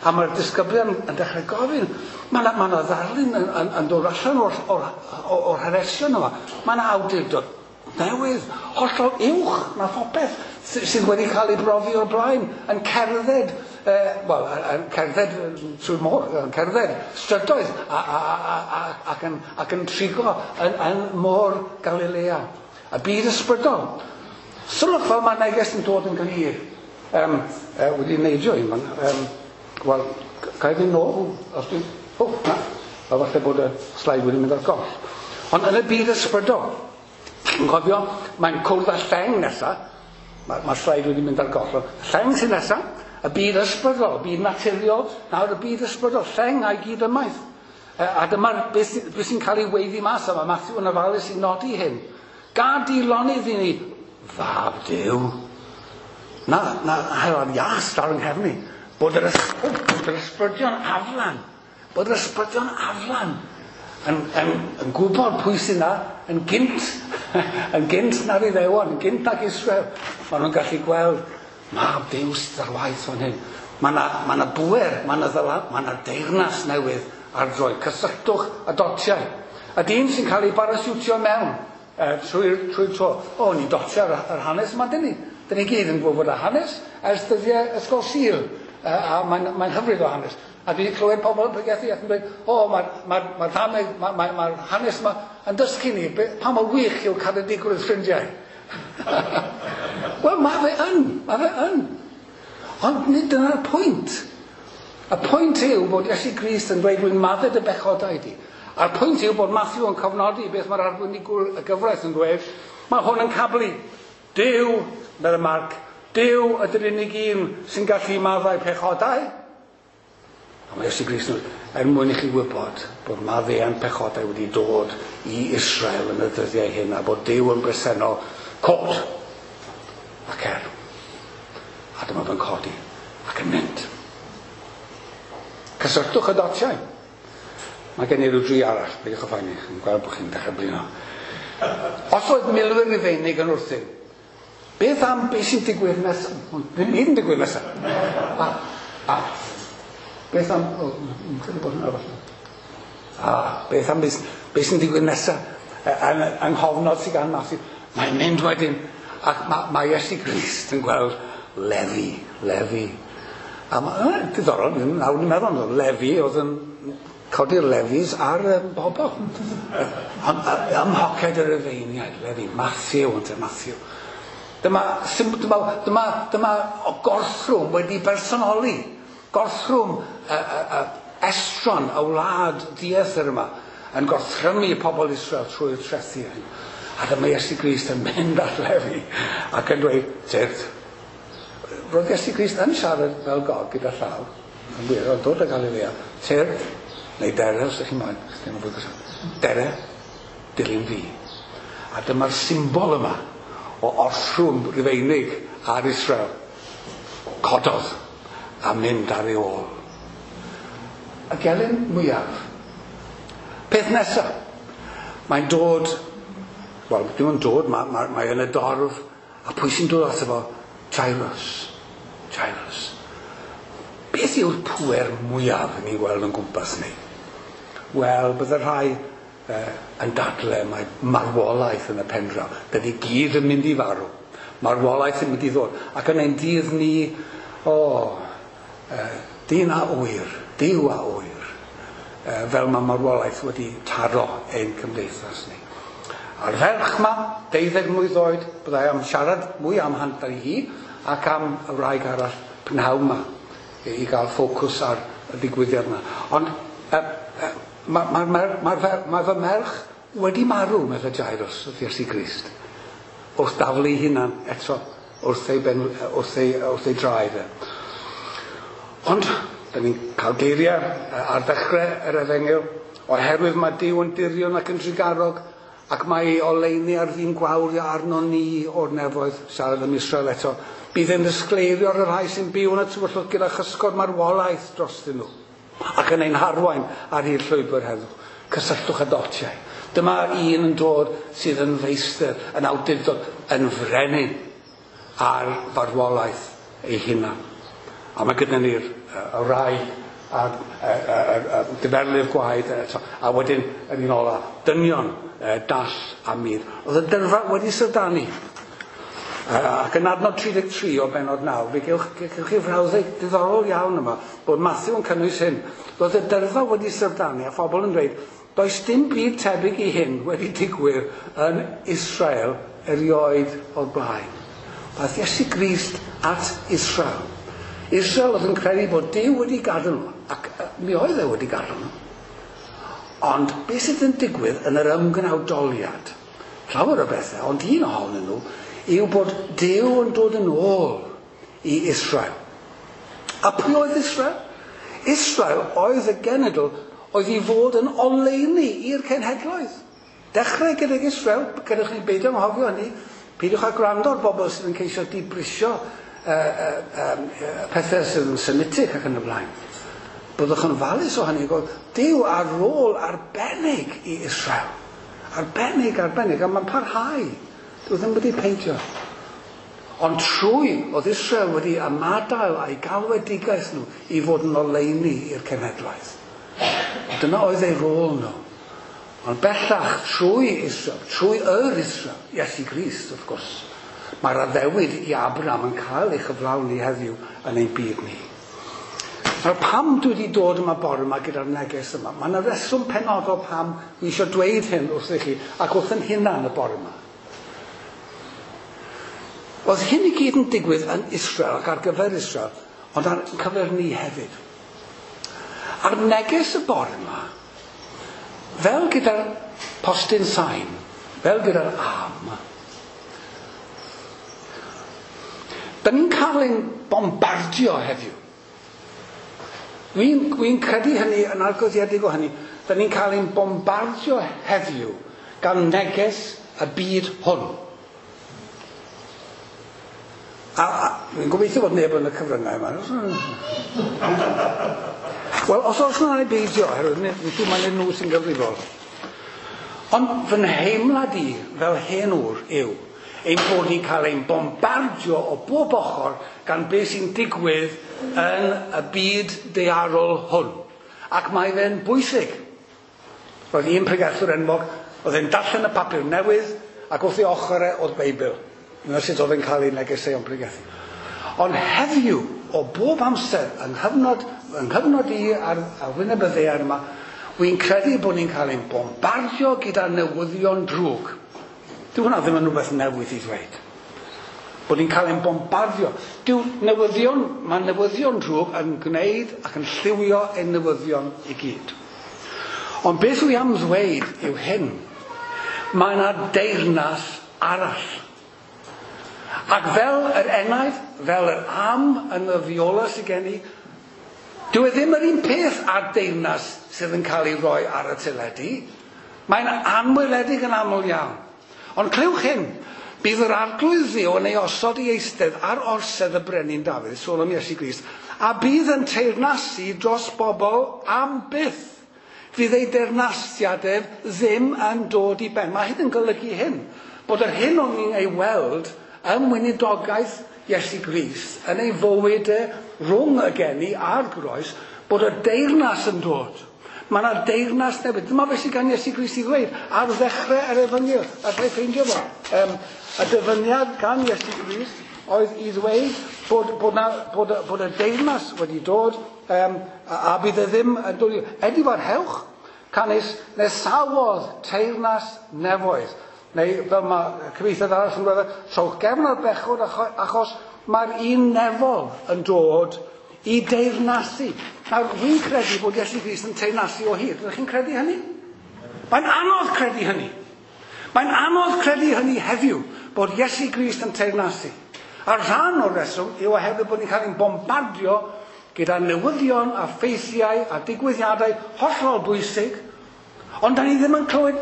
A mae'r disgyblion yn dechrau gofyn. Mae yna ma ddarlun yn, yn, yn dod allan o'r, o'r, o'r, o'r hanesion yma. Mae yna awdurdod newydd, hollol uwch na phopeth sydd wedi cael ei brofi o'r blaen, yn cerdded, eh, wel, yn cerdded trwy'r môr, yn cerdded strydoedd a, a, a, a, ac, yn, ac yn trigo yn, yn môr Galilea. Y byd ysbrydol. Sylwch fel mae neges yn dod yn glir. Um, uh, wedi neidio un fan. Um, Wel, ga i fynd nôl, os dwi'n... O, na, a falle bod y sleid wedi mynd ar goll. Ond yn y byd ysbrydol, yn cofio, mae'n cwrdd â lleng nesaf, mae'r ma sleid wedi mynd ar goll. Lleng sy'n nesaf, y byd ysbrydol, y byd naturiol, nawr y byd ysbrydol, lleng a'i gyd ymaith. A dyma'r beth, beth sy'n cael ei weiddi mas, a mae Matthew yn ofalus i nodi hyn. Gad i lonydd i ni, fab Duw. Na, na, hela'r ias ar yng nghefn i. Bod yr, bod yr ysbrydion aflan, bod yr ysbrydion aflan yn, yn, yn gwybod pwy sy'n na, yn gynt, yn gynt na'r Iddewon, yn gynt nag Israel. Maen nhw'n gallu gweld, mab Duw sydd ar waith fan hyn. Mae yna ma na bwer, mae yna ddyla, mae yna deyrnas newydd ar droed. Cysylltwch y dotiau. A dyn sy'n cael ei barasiwtio mewn uh, trwy'r trwy tro. O, ni'n dotio ar, ar hanes yma, dyn ni. Dyn ni gyd yn gwybod y hanes ers dyddiau Ysgol Sul. Uh, a mae'n mae hyfryd o hanes. A dwi wedi clywed pobl yn pregethu ac yn dweud, o, mae'r ma, ma, ma, ma, ma, ma hanes yma yn dysgu ni pa mor wych yw caredigrwydd ffrindiau. Wel, mae fe yn, mae fe yn. Ond nid dyna'r pwynt. Y pwynt yw bod Iesu Grist yn dweud, rwy'n maddau dy bechodau di. A'r pwynt yw bod Matthew yn cofnodi beth mae'r arbenigwr y gyfraith yn dweud. Mae hwn yn cablu. Duw, meddai Marc, Duw ydy'r unig un sy'n gallu maddau pechodau. A mae Iesu Grist yn dweud, er mwyn i chi wybod bod maddeuant pechodau wedi dod i Israel yn y dyddiau hyn a bod Duw yn bresennol, cod ac er. A dyma fe'n codi ac yn mynd. Cysylltwch y dotiau. Mae gen i ryw dri arall, peidiwch â phoeni, yn gweld bod chi'n dechrau blino. Os oedd milwyr Rufeinig yn wrthyn, beth am beth sy'n digwydd nesaf? Ddim byd yn digwydd nesaf. A, a, beth am... O, yn credu bod hwnna falle. A, beth am beth, beth sy'n digwydd nesaf? Yng nghofnod sydd gan Matthew. Mae'n mynd wedyn, ac mae, mae Iesu Grist yn gweld Lefi, Lefi. A mae, diddorol, nawr ni'n meddwl, Lefi oedd yn codi'r lefis ar y bobl. Ym mhoced y Rufeiniaid, Lefi, Matthew, ynte, Matthew. Dyma, dyma, dyma, dyma gorthrwm wedi personoli. Gorthrwm uh, uh, uh, estron y wlad dieithr yma yn gorthrymu pobl Israel trwy'r trethu hyn. A dyma Iesu Grist yn mynd at Lefi ac yn dweud, tyrd. Roedd Iesu Grist yn siarad fel God gyda llaw, yn wir, oedd dod o Galilea. Tyrd, neu dere, os ydych chi'n moyn, ddim yn fwy gwrs. Dere, dilyn fi. A dyma'r symbol yma o orthrwm Rufeinig ar Israel. Cododd a mynd ar ei ôl. Y gelyn mwyaf. Peth nesaf, mae'n dod, wel, dim ond dod, mae, mae, mae yn y dorf, a pwy sy'n dod ato fo? Jairus. Jairus. Beth yw'r pŵer mwyaf ni'n gweld yn gwmpas ni? Wel, bydde rhai eh, yn dadle mae marwolaeth yn y pendraw. Dyn ni gyd yn mynd i farw. Marwolaeth yn mynd i ddod. Ac yn ein dydd ni, o, oh, eh, dyn a ŵyr, Duw a ŵyr, eh, fel mae marwolaeth wedi taro ein cymdeithas ni. A'r ferch ma, deuddeg mlwydd oed, byddai am siarad mwy am hanner hi ac am y wraig arall prynhawn ma i gael ffocws ar y digwyddiad yma. Ond uh, uh, mae ma, ma, ma, ma fy merch wedi marw, meddai Jairus wrth Iesu Grist, wrth daflu hunan eto wrth ei, ben, wrth ei, wrth ei draed. Ond, da ni'n cael geiriau ar ddechrau yr efengyl, oherwydd mae Duw yn dirion ac yn trugarog, ac mae ei oleuni ar fin gwawrio arno ni o'r nefoedd, siarad am Israel eto. Bydd yn ddisgleirio ar y rhai sy'n byw yn y tywyllwch gyda chysgod marwolaeth drostyn nhw, ac yn ein harwain ar hyd llwybr heddwch. Cysylltwch y dotiau. Dyma un yn dod sydd yn feistr, yn awdurdod, yn frenin ar farwolaeth ei hunan. A mae gyda ni'r y rai a'r diferlif gwaed eto. A wedyn yn un ola, dynion dall a mur. Oedd y dyrfa wedi syfrdanu. Ac yn adnod tri deg tri o bennod naw, fe gewch, gewch chi frawddeg diddorol iawn yma, bod Matthew yn cynnwys hyn. Roedd y dyrfa wedi syfrdanu a phobl yn dweud, does dim byd tebyg i hyn wedi digwydd yn Israel erioed o'r blaen. Daeth Iesu Grist at Israel. Israel oedd yn credu bod Duw wedi gadael nhw, ac mi oedd e wedi gadael nhw. Ond beth sydd yn digwydd yn yr ymgnawdoliad? Llawer o bethau, ond un ohonyn nhw yw bod Duw yn dod yn ôl i Israel. A pwy oedd Israel? Israel oedd y genedl oedd i fod yn oleuni i'r cenhedloedd. Dechrau gydag Israel, gadewch ni beidio anghofio hynny, peidiwch â gwrando ar bobl sydd yn ceisio dibrisio uh, uh, um, pethau sydd yn Semitic ac yn y blaen. Byddwch yn ofalus o hynny, Duw ar rôl arbennig i Israel. Arbennig, arbennig, a mae'n parhau. Dyw ddim wedi peidio. Ond trwy oedd Israel wedi ymadael a'i galwedigaeth nhw i fod yn oleuni i'r cenhedlaeth. Dyna oedd eu rôl nhw. Ond bellach, trwy Israel, trwy yr Israel, Iesu Grist wrth gwrs, mae'r addewid i Abraham yn cael ei chyflawni heddiw yn ein byd ni. Nawr, pam dwi wedi dod yma bore yma gyda'r neges yma? Mae yna reswm penodol pam dwi eisiau dweud hyn wrthych chi ac wrth yn hunan y bore yma. Oedd hyn i gyd yn digwydd yn Israel ac ar gyfer Israel, ond ar cyfer ni hefyd. A'r neges y bore yma, fel gyda'r postyn sain, fel gyda'r am, da ni'n cael ein bombardio heddiw. Dwi'n dwi credu hynny, yn argyhoeddedig o hynny, da ni'n cael ein bombardio heddiw gan neges y byd hwn. A, a dwi'n gobeithio bod neb yn y cyfryngau yma. Wel, os oes yna neu beidio, oherwydd dwi'n siŵr mai nhw sy'n gyfrifol. Ond fy nheimlad i fel hen ŵr yw ein bod ni'n cael ein bombardio o bob ochr gan beth sy'n digwydd yn y byd daearol hwn. Ac mae fe'n bwysig. Roedd un pregethwr enwog, oedd e'n darllen y papur newydd, ac wrth ei ochr e oedd Beibl. Dyna sut oedd e'n cael ei negeseuon pregethu. Ond heddiw, o bob amser, yng nghyfnod, yng nghyfnod i ar, ar wyneb y ddaear yma, wy'n credu bod ni'n cael ein bombardio gyda newyddion drwg. Dyw hwnna ddim yn rhywbeth newydd i ddweud. Bod ni'n cael ein bombardio. Dyw newyddion, mae newyddion drwg yn gwneud ac yn lliwio ein newyddion i gyd. Ond beth wy am ddweud yw hyn. Mae yna deyrnas arall. Ac fel yr enaid, fel yr am yn y fiola sydd gen i, dyw e ddim yr un peth â'r deyrnas sydd yn cael ei roi ar y teledu. Mae'n anweledig yn aml iawn. Ond clywch hyn, bydd yr arglwydd Dduw yn ei osod i eistedd ar orsedd y brenin Dafydd, sôn am Iesu Grist, a bydd yn teyrnasu dros bobl am byth. Fydd ei deyrnasiad ef ddim yn dod i ben. Mae hyn yn golygu hyn, bod yr hyn o'n ni'n ei weld ym weinidogaeth Iesu Grist, yn ei fywyd e rhwng y geni a'r groes, bod y deyrnas yn dod. Mae yna deyrnas newydd. Dyma beth sydd gan Iesu Grist i ddweud ar ddechrau yr efengyl. Allai ffeindio fo. Um, y dyfyniad gan Iesu Grist oedd i ddweud bod, bod, na, bod, bod y deyrnas wedi dod um, a, a bydd e ddim yn dod i... Edifarhewch, canys nesawodd teyrnas nefoedd. Neu fel mae cyfieithiad arall yn dweud, trowch gefn ar bechod achos mae'r un nefol yn dod i deyrnasu. Nawr, fi'n credu bod Iesu Grist yn teyrnasu o hyd. Ydych chi'n credu hynny? Mae'n anodd credu hynny. Mae'n anodd credu hynny heddiw, bod Iesu Grist yn teyrnasu. A rhan o'r reswm yw oherwydd bod ni'n cael ein bombardio gyda newyddion a ffeithiau a digwyddiadau hollol bwysig, ond da ni ddim yn clywed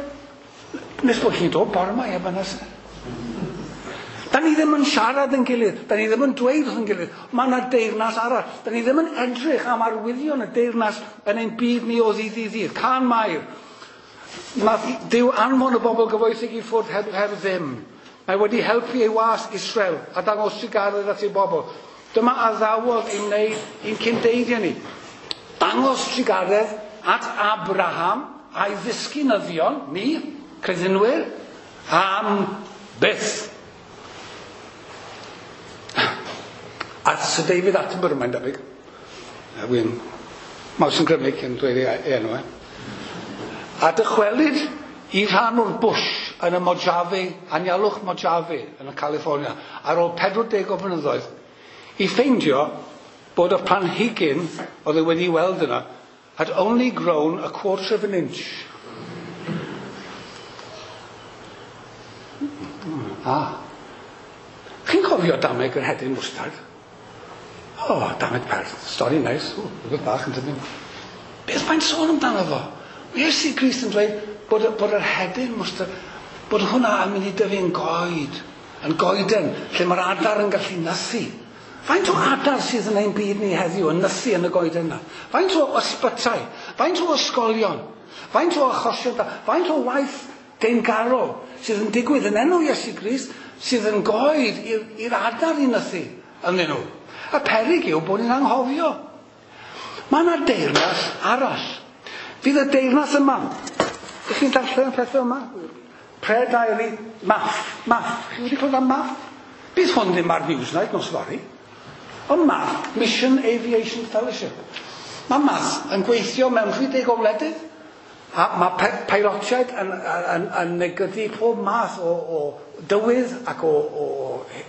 nes bod chi'n dod bore yma, ie, fan'na. Da ni ddim yn siarad yn gilydd, da ni ddim yn dweud wrth yn gilydd, mae yna deyrnas arall. Da ni ddim yn edrych am arwyddion y deyrnas yn ein byd ni o ddydd i ddydd. Cân Mair, nath Duw anfon y bobl gyfoethog i ffwrdd heb, heb ddim. Mae wedi helpu ei was Israel a dangos trugaredd at ei bobl. Dyma addawodd i wneud i'n cyndeiriau ni. Dangos trugaredd at Abraham a'i ddisgynyddion, ni, credinwyr, am byth. A Sir David Attenborough, mae'n debyg. Wy'n maws yn grymu cyn dweud ei enw e. A dychwelyd i rhan o'r bush yn y Mojave, anialwch Mojave yn y California, ar ôl pedwar deg o flynyddoedd, i ffeindio bod y planhigyn oedd e wedi weld yna had only grown a quarter of an inch. Ah. Chi'n cofio dameg yr hedyn mwstard? O, oh, dameg perth. Stori neis. O, rhywbeth bach yn dydyn. Beth mae'n sôn amdano fo? Iesu Grist yn dweud bod, bod yr hedyn mwstard, bod hwnna yn mynd i dyfu yn goed, yn goeden, lle mae'r adar yn gallu nythu. Faint o adar sydd yn ein byd ni heddiw yn nythu yn y goeden yna? Faint o ysbytai? Faint o ysgolion? Faint o achosion da? Faint o waith deingarol sydd yn digwydd yn enw Iesu Grist, sydd yn goed i'r adar i nythu ynddyn nhw. Y peryg yw bod ni'n anghofio. Mae yna deyrnas arall. Fydd y deyrnas yma. Ydych chi'n darllen y pethau yma? Prayer Diary, M A F. M A F. Chi wedi clywed am M A F? Bydd hwn ddim ar Newsnight nos fory. Ond M A F, Mission Aviation Fellowship. Mae M A F yn gweithio mewn rhai o wledydd. A mae peilotiaid yn, yn, yn negydu pob math o, o dywydd ac o, o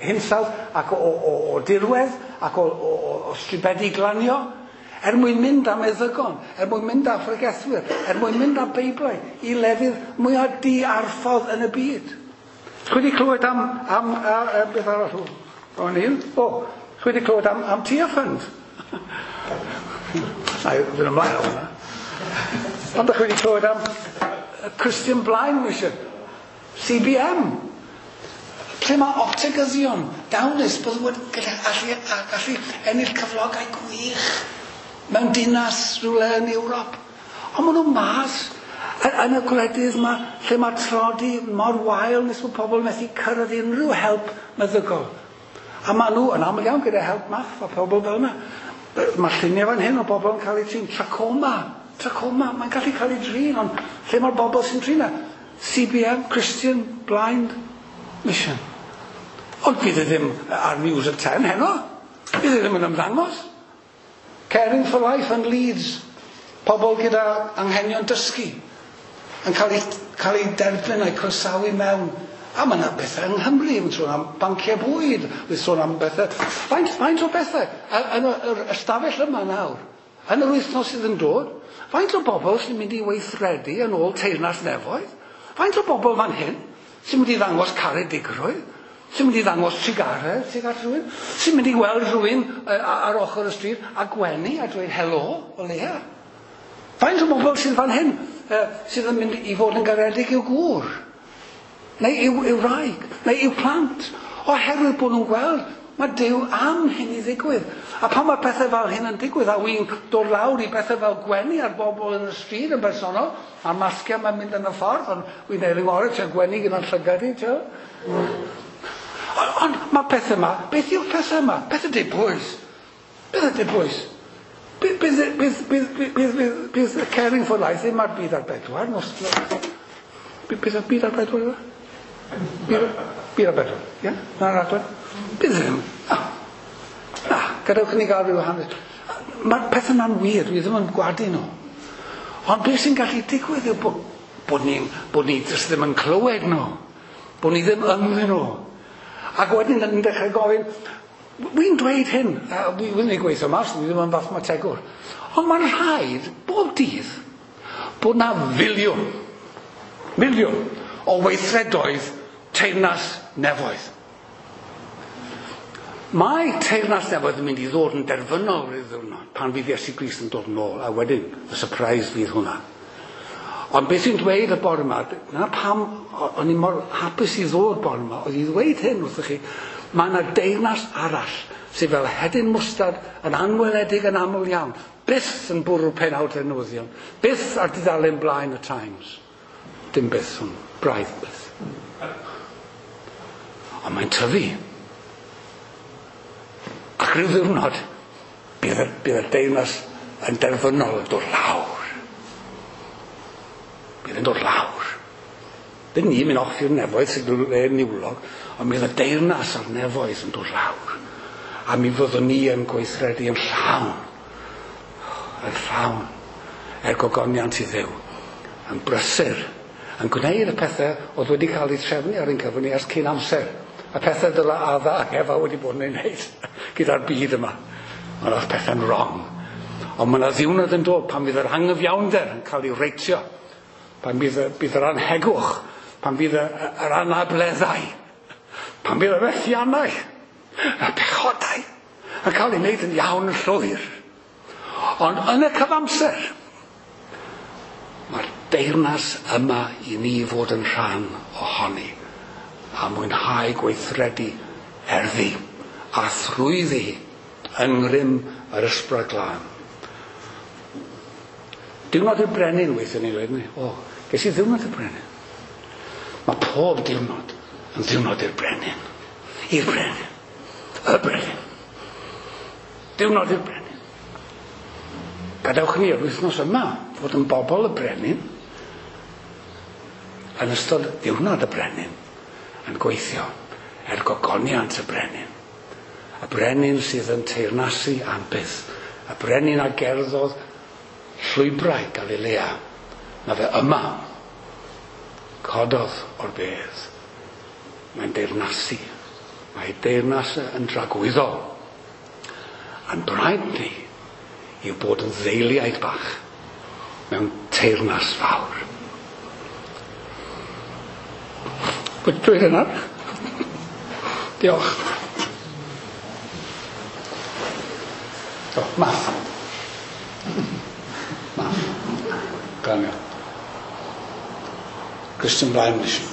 hinsawdd ac o, o, o dirwedd ac o, o, o stribedi glanio er mwyn mynd â meddygon, er mwyn mynd â phregethwyr, er mwyn mynd â Beiblau i lefydd mwyaf diarffordd yn y byd. Chwi wedi clywed am, am a, a, beth arall? O, un? O, chwi wedi clywed am, am Tearfund? Na, fynd ymlaen o hwnna. Ond ydych chi wedi clywed am Christian Blind Mission, C B M, lle mae optegyddion dawnus byddwn gyda allu, gallu ennill cyflogau gwych mewn dinas rhywle yn Ewrop. Ond maen nhw mas yn y gwledydd yma lle mae tlodi mor wael nes bod pobl methu cyrraedd unrhyw help meddygol. A maen nhw yn aml iawn gyda help M A F a pobl fel yna. Mae lluniau fan hyn o bobl yn cael eu trin. Trachoma. Trachoma. Mae'n gallu cael ei drin, ond lle mae'r bobl sy'n trin e? C B M, Christian Blind Mission. Ond bydd e ddim ar News at ten heno. Bydd e ddim yn ymddangos. Caring for Life yn Leeds. Pobl gyda anghenion dysgu yn cael ei, cael ei derbyn a'i croesawu mewn. A mae yna bethau yng Nghymru, mae'n sôn am banciau bwyd, mae'n sôn am bethau. Faint, faint o bethau yn yr ystafell yma nawr, yn yr wythnos sydd yn dod, faint o bobl sy'n mynd i weithredu yn ôl teyrnas nefoedd? Faint o bobl fan hyn sy'n mynd i ddangos caredigrwydd? Sy'n mynd i ddangos trugaredd tuag at rhywun? Sy'n mynd i weld rhywun ar ochr y stryd a gwenu a dweud helo o leia? Faint o bobl sydd fan hyn sydd yn mynd i fod yn garedig i'w gŵr? Neu i'w, i'w wraig? Neu i'w plant? Oherwydd bod nhw'n gweld mae Duw am hyn i ddigwydd. A pan mae pethau fel hyn yn digwydd, a wy'n dod lawr i bethau fel gwenu ar bobl yn y stryd yn bersonol, a'r masgiau mae'n mynd yn y ffordd, ond wy'n neud yng ngorau, ti'n gwenu gyda'n llygad i, ti'n. Ond on, mae pethau yma, beth yw'r pethau yma? Pethau dibwys. Pethau dibwys. Bydd, bydd, bydd, bydd, bydd, bydd, bydd Caring for Life ddim ar Byd ar Bedwar. Nos, bydd, bydd Byd ar Bedwar yma? Byd, Byd ar Bedwar, ie? Na'r raglen? Bydd ddim. Na. Na, gadewch i ni gael rhyw hanes. Mae'r pethau yna'n wir, dwi ddim yn gwadu nhw. Ond beth sy'n gallu digwydd yw bod, bod ni, bod ni jyst ddim yn clywed nhw. Bod ni ddim ynddyn nhw. Ac wedyn yn dechrau gofyn, wy'n dweud hyn, a wy'n ei gweithio mas, dwi ddim yn fathemategwr. Ond mae'n rhaid, bob dydd, bod na filiwn, miliwn o weithredoedd teyrnas nefoedd. Mae teyrnas nefoedd yn mynd i ddod yn derfynol rhyw ddiwrnod pan fydd Iesu Grist yn dod yn ôl, a wedyn y surprise fydd hwnna. Ond beth sy'n dweud y bore yma, na pam o'n i mor hapus i ddod bore yma, oedd i ddweud hyn wrthych chi, mae yna deyrnas arall sydd fel hedyn mwstard yn anweledig yn aml iawn, byth yn bwrw penawd y newyddion, byth ar dudalen blaen y Times. Dim byth hwn, braidd byth. Ond mae'n tyfu. Ac rhyw ddiwrnod, bydd y, bydd y deyrnas yn derfynol yn dod lawr. Bydd yn dod lawr. Dyn ni'n mynd off i'r nefoedd sy'n le niwlog, ond bydd y deyrnas a'r nefoedd yn dod lawr. A mi fyddwn ni yn gweithredu yn llawn. Yn llawn. Er gogoniant i Dduw. Yn brysur. Yn gwneud y pethau oedd wedi cael eu trefnu ar ein cyfer ni ers cyn amser. Y pethau dyla Adda ac Efa wedi bod yn ei wneud gyda'r byd yma. Ond oedd pethau'n wrong. Ond mae yna ddiwrnod yn dod pan fydd yr anghyfiawnder yn cael ei reitio. Pan bydd, bydd yr anhegwch, pan bydd yr anableddau, pan bydd y methiannau, y pechodau yn cael ei wneud yn iawn yn llwyr. Ond yn y cyfamser, mae'r deyrnas yma i ni fod yn rhan ohoni a mwynhau gweithredu erddi a thrwyddi yng ngrym yr Ysbryd Glân. Diwrnod y Brenin weithio ni dweud ni. O, ges i ddiwrnod y Brenin. Mae pob diwrnod yn ddiwrnod i'r brenin. I'r brenin. Y brenin. Diwrnod i'r brenin. Gadewch ni yr wythnos yma fod yn bobl y brenin yn ystod diwrnod y brenin yn gweithio er gogoniant y brenin. Y brenin sydd yn teyrnasu am byth. Y brenin a gerddodd llwybrau Galilea. Mae fe yma. Cododd o'r bedd. Mae'n deyrnasu. Mae deyrnas yn dragwyddol. A'n braidd ni yw bod yn ddeiliaid bach mewn teyrnas fawr. Wedi dweud yna? Diolch. O, math. Math. Glanio. Christian Blind Mission.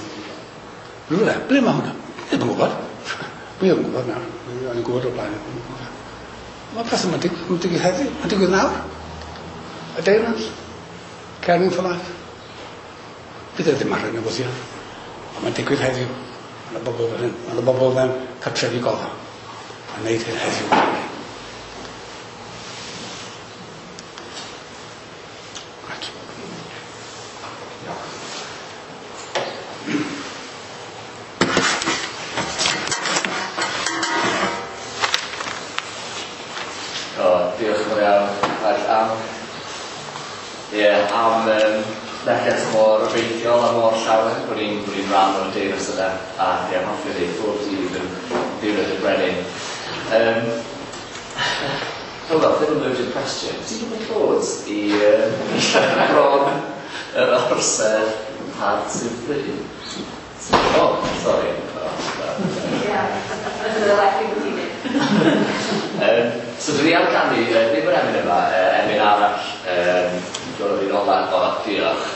Rhywle, ble mae hwnna? Ddim yn gwybod. Dwi ddim yn gwybod nawr. O'n i'n gwybod o'r blaen. Mae pethau mae'n digwydd heddiw. Mae'n digwydd nawr. Y deyrnas. Caring for Life. Bydd e ddim ar y newyddion. Ond mae'n digwydd heddiw. Mae yna bobl fel hyn. Mae yna bobl mewn cartrefi gofal. A wneud hyn heddiw. Right. Diolch. O, diolch yn fawr iawn. Ac am, ie, yeah, am um, neges mor obeithiol a mor llawen bod ni'n bod ni'n rhan o'r deyrnas yna. A ie, yeah, hoffwn i bob dydd yn ddiwrnod y brenin. Um, Hold on, ddim yn loaded question. Ti'n gwybod clod i um, bron yr orsedd pan sy'n pryd? Oh, sorry. Oh, um, so dwi am ganu, uh, ddim yr emyn yma, uh, emyn arall, um, dod o'r un ola, o, diolch.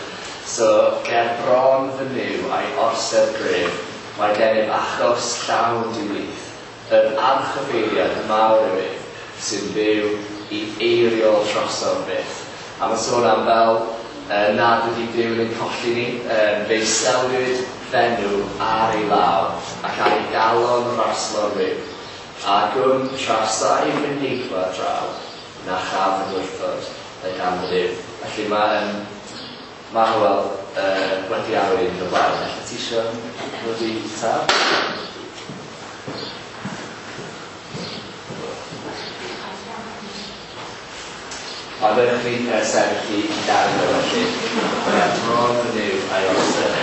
So, ger bron fy Nuw a'i orsedd gref, mae gennym achos llawn diwlith, yr archoffeiriad mawr yw ef, sy'n byw i eiriol drosodd byth. A mae'n sôn am fel uh, nad ydy Duw yn ein colli ni, um, fe'i seliwyd fenw ar ei law ac ar ei galon raslon ryw. A gwn trasau fy neigfa draw, na chaf yn wrthod y gan fy Duw. Felly mae, um, mae Hywel uh, wedi arwain yn y blaen. Felly ti isio dod i taf? A dewch ni uh, sefyll i gael o felly. Bron fy Nuw a'i orsedd.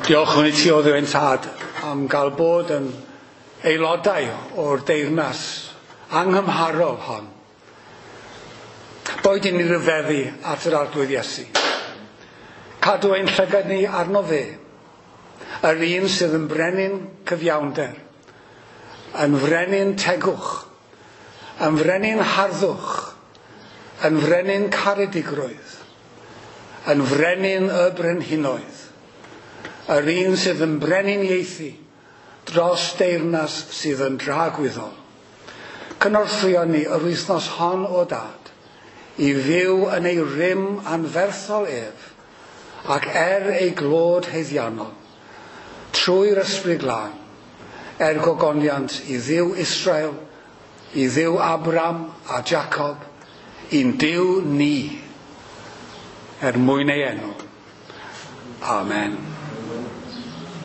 Diolch yn i ti o Dduw ein Tad am gael bod yn aelodau o'r deyrnas anghymharol hon. Boed i ni ryfeddu at yr Arglwydd Iesu. Cadw ein llygad ni arno fe, yr un sydd yn brenin cyfiawnder, yn frenin tegwch, yn frenin harddwch, yn frenin caredigrwydd, yn frenin y brenhinoedd, yr un sydd yn brenhiniaethu dros deyrnas sydd yn dragwyddol. Cynorthwyo ni yr wythnos hon o Dad, i fyw yn ei rym anferthol ef, ac er ei glod haeddiannol, trwy'r Ysbryd Glân, er gogoniant i Dduw Israel, i Dduw Abram a Jacob, i'n Duw ni, er mwyn ei enw. Amen.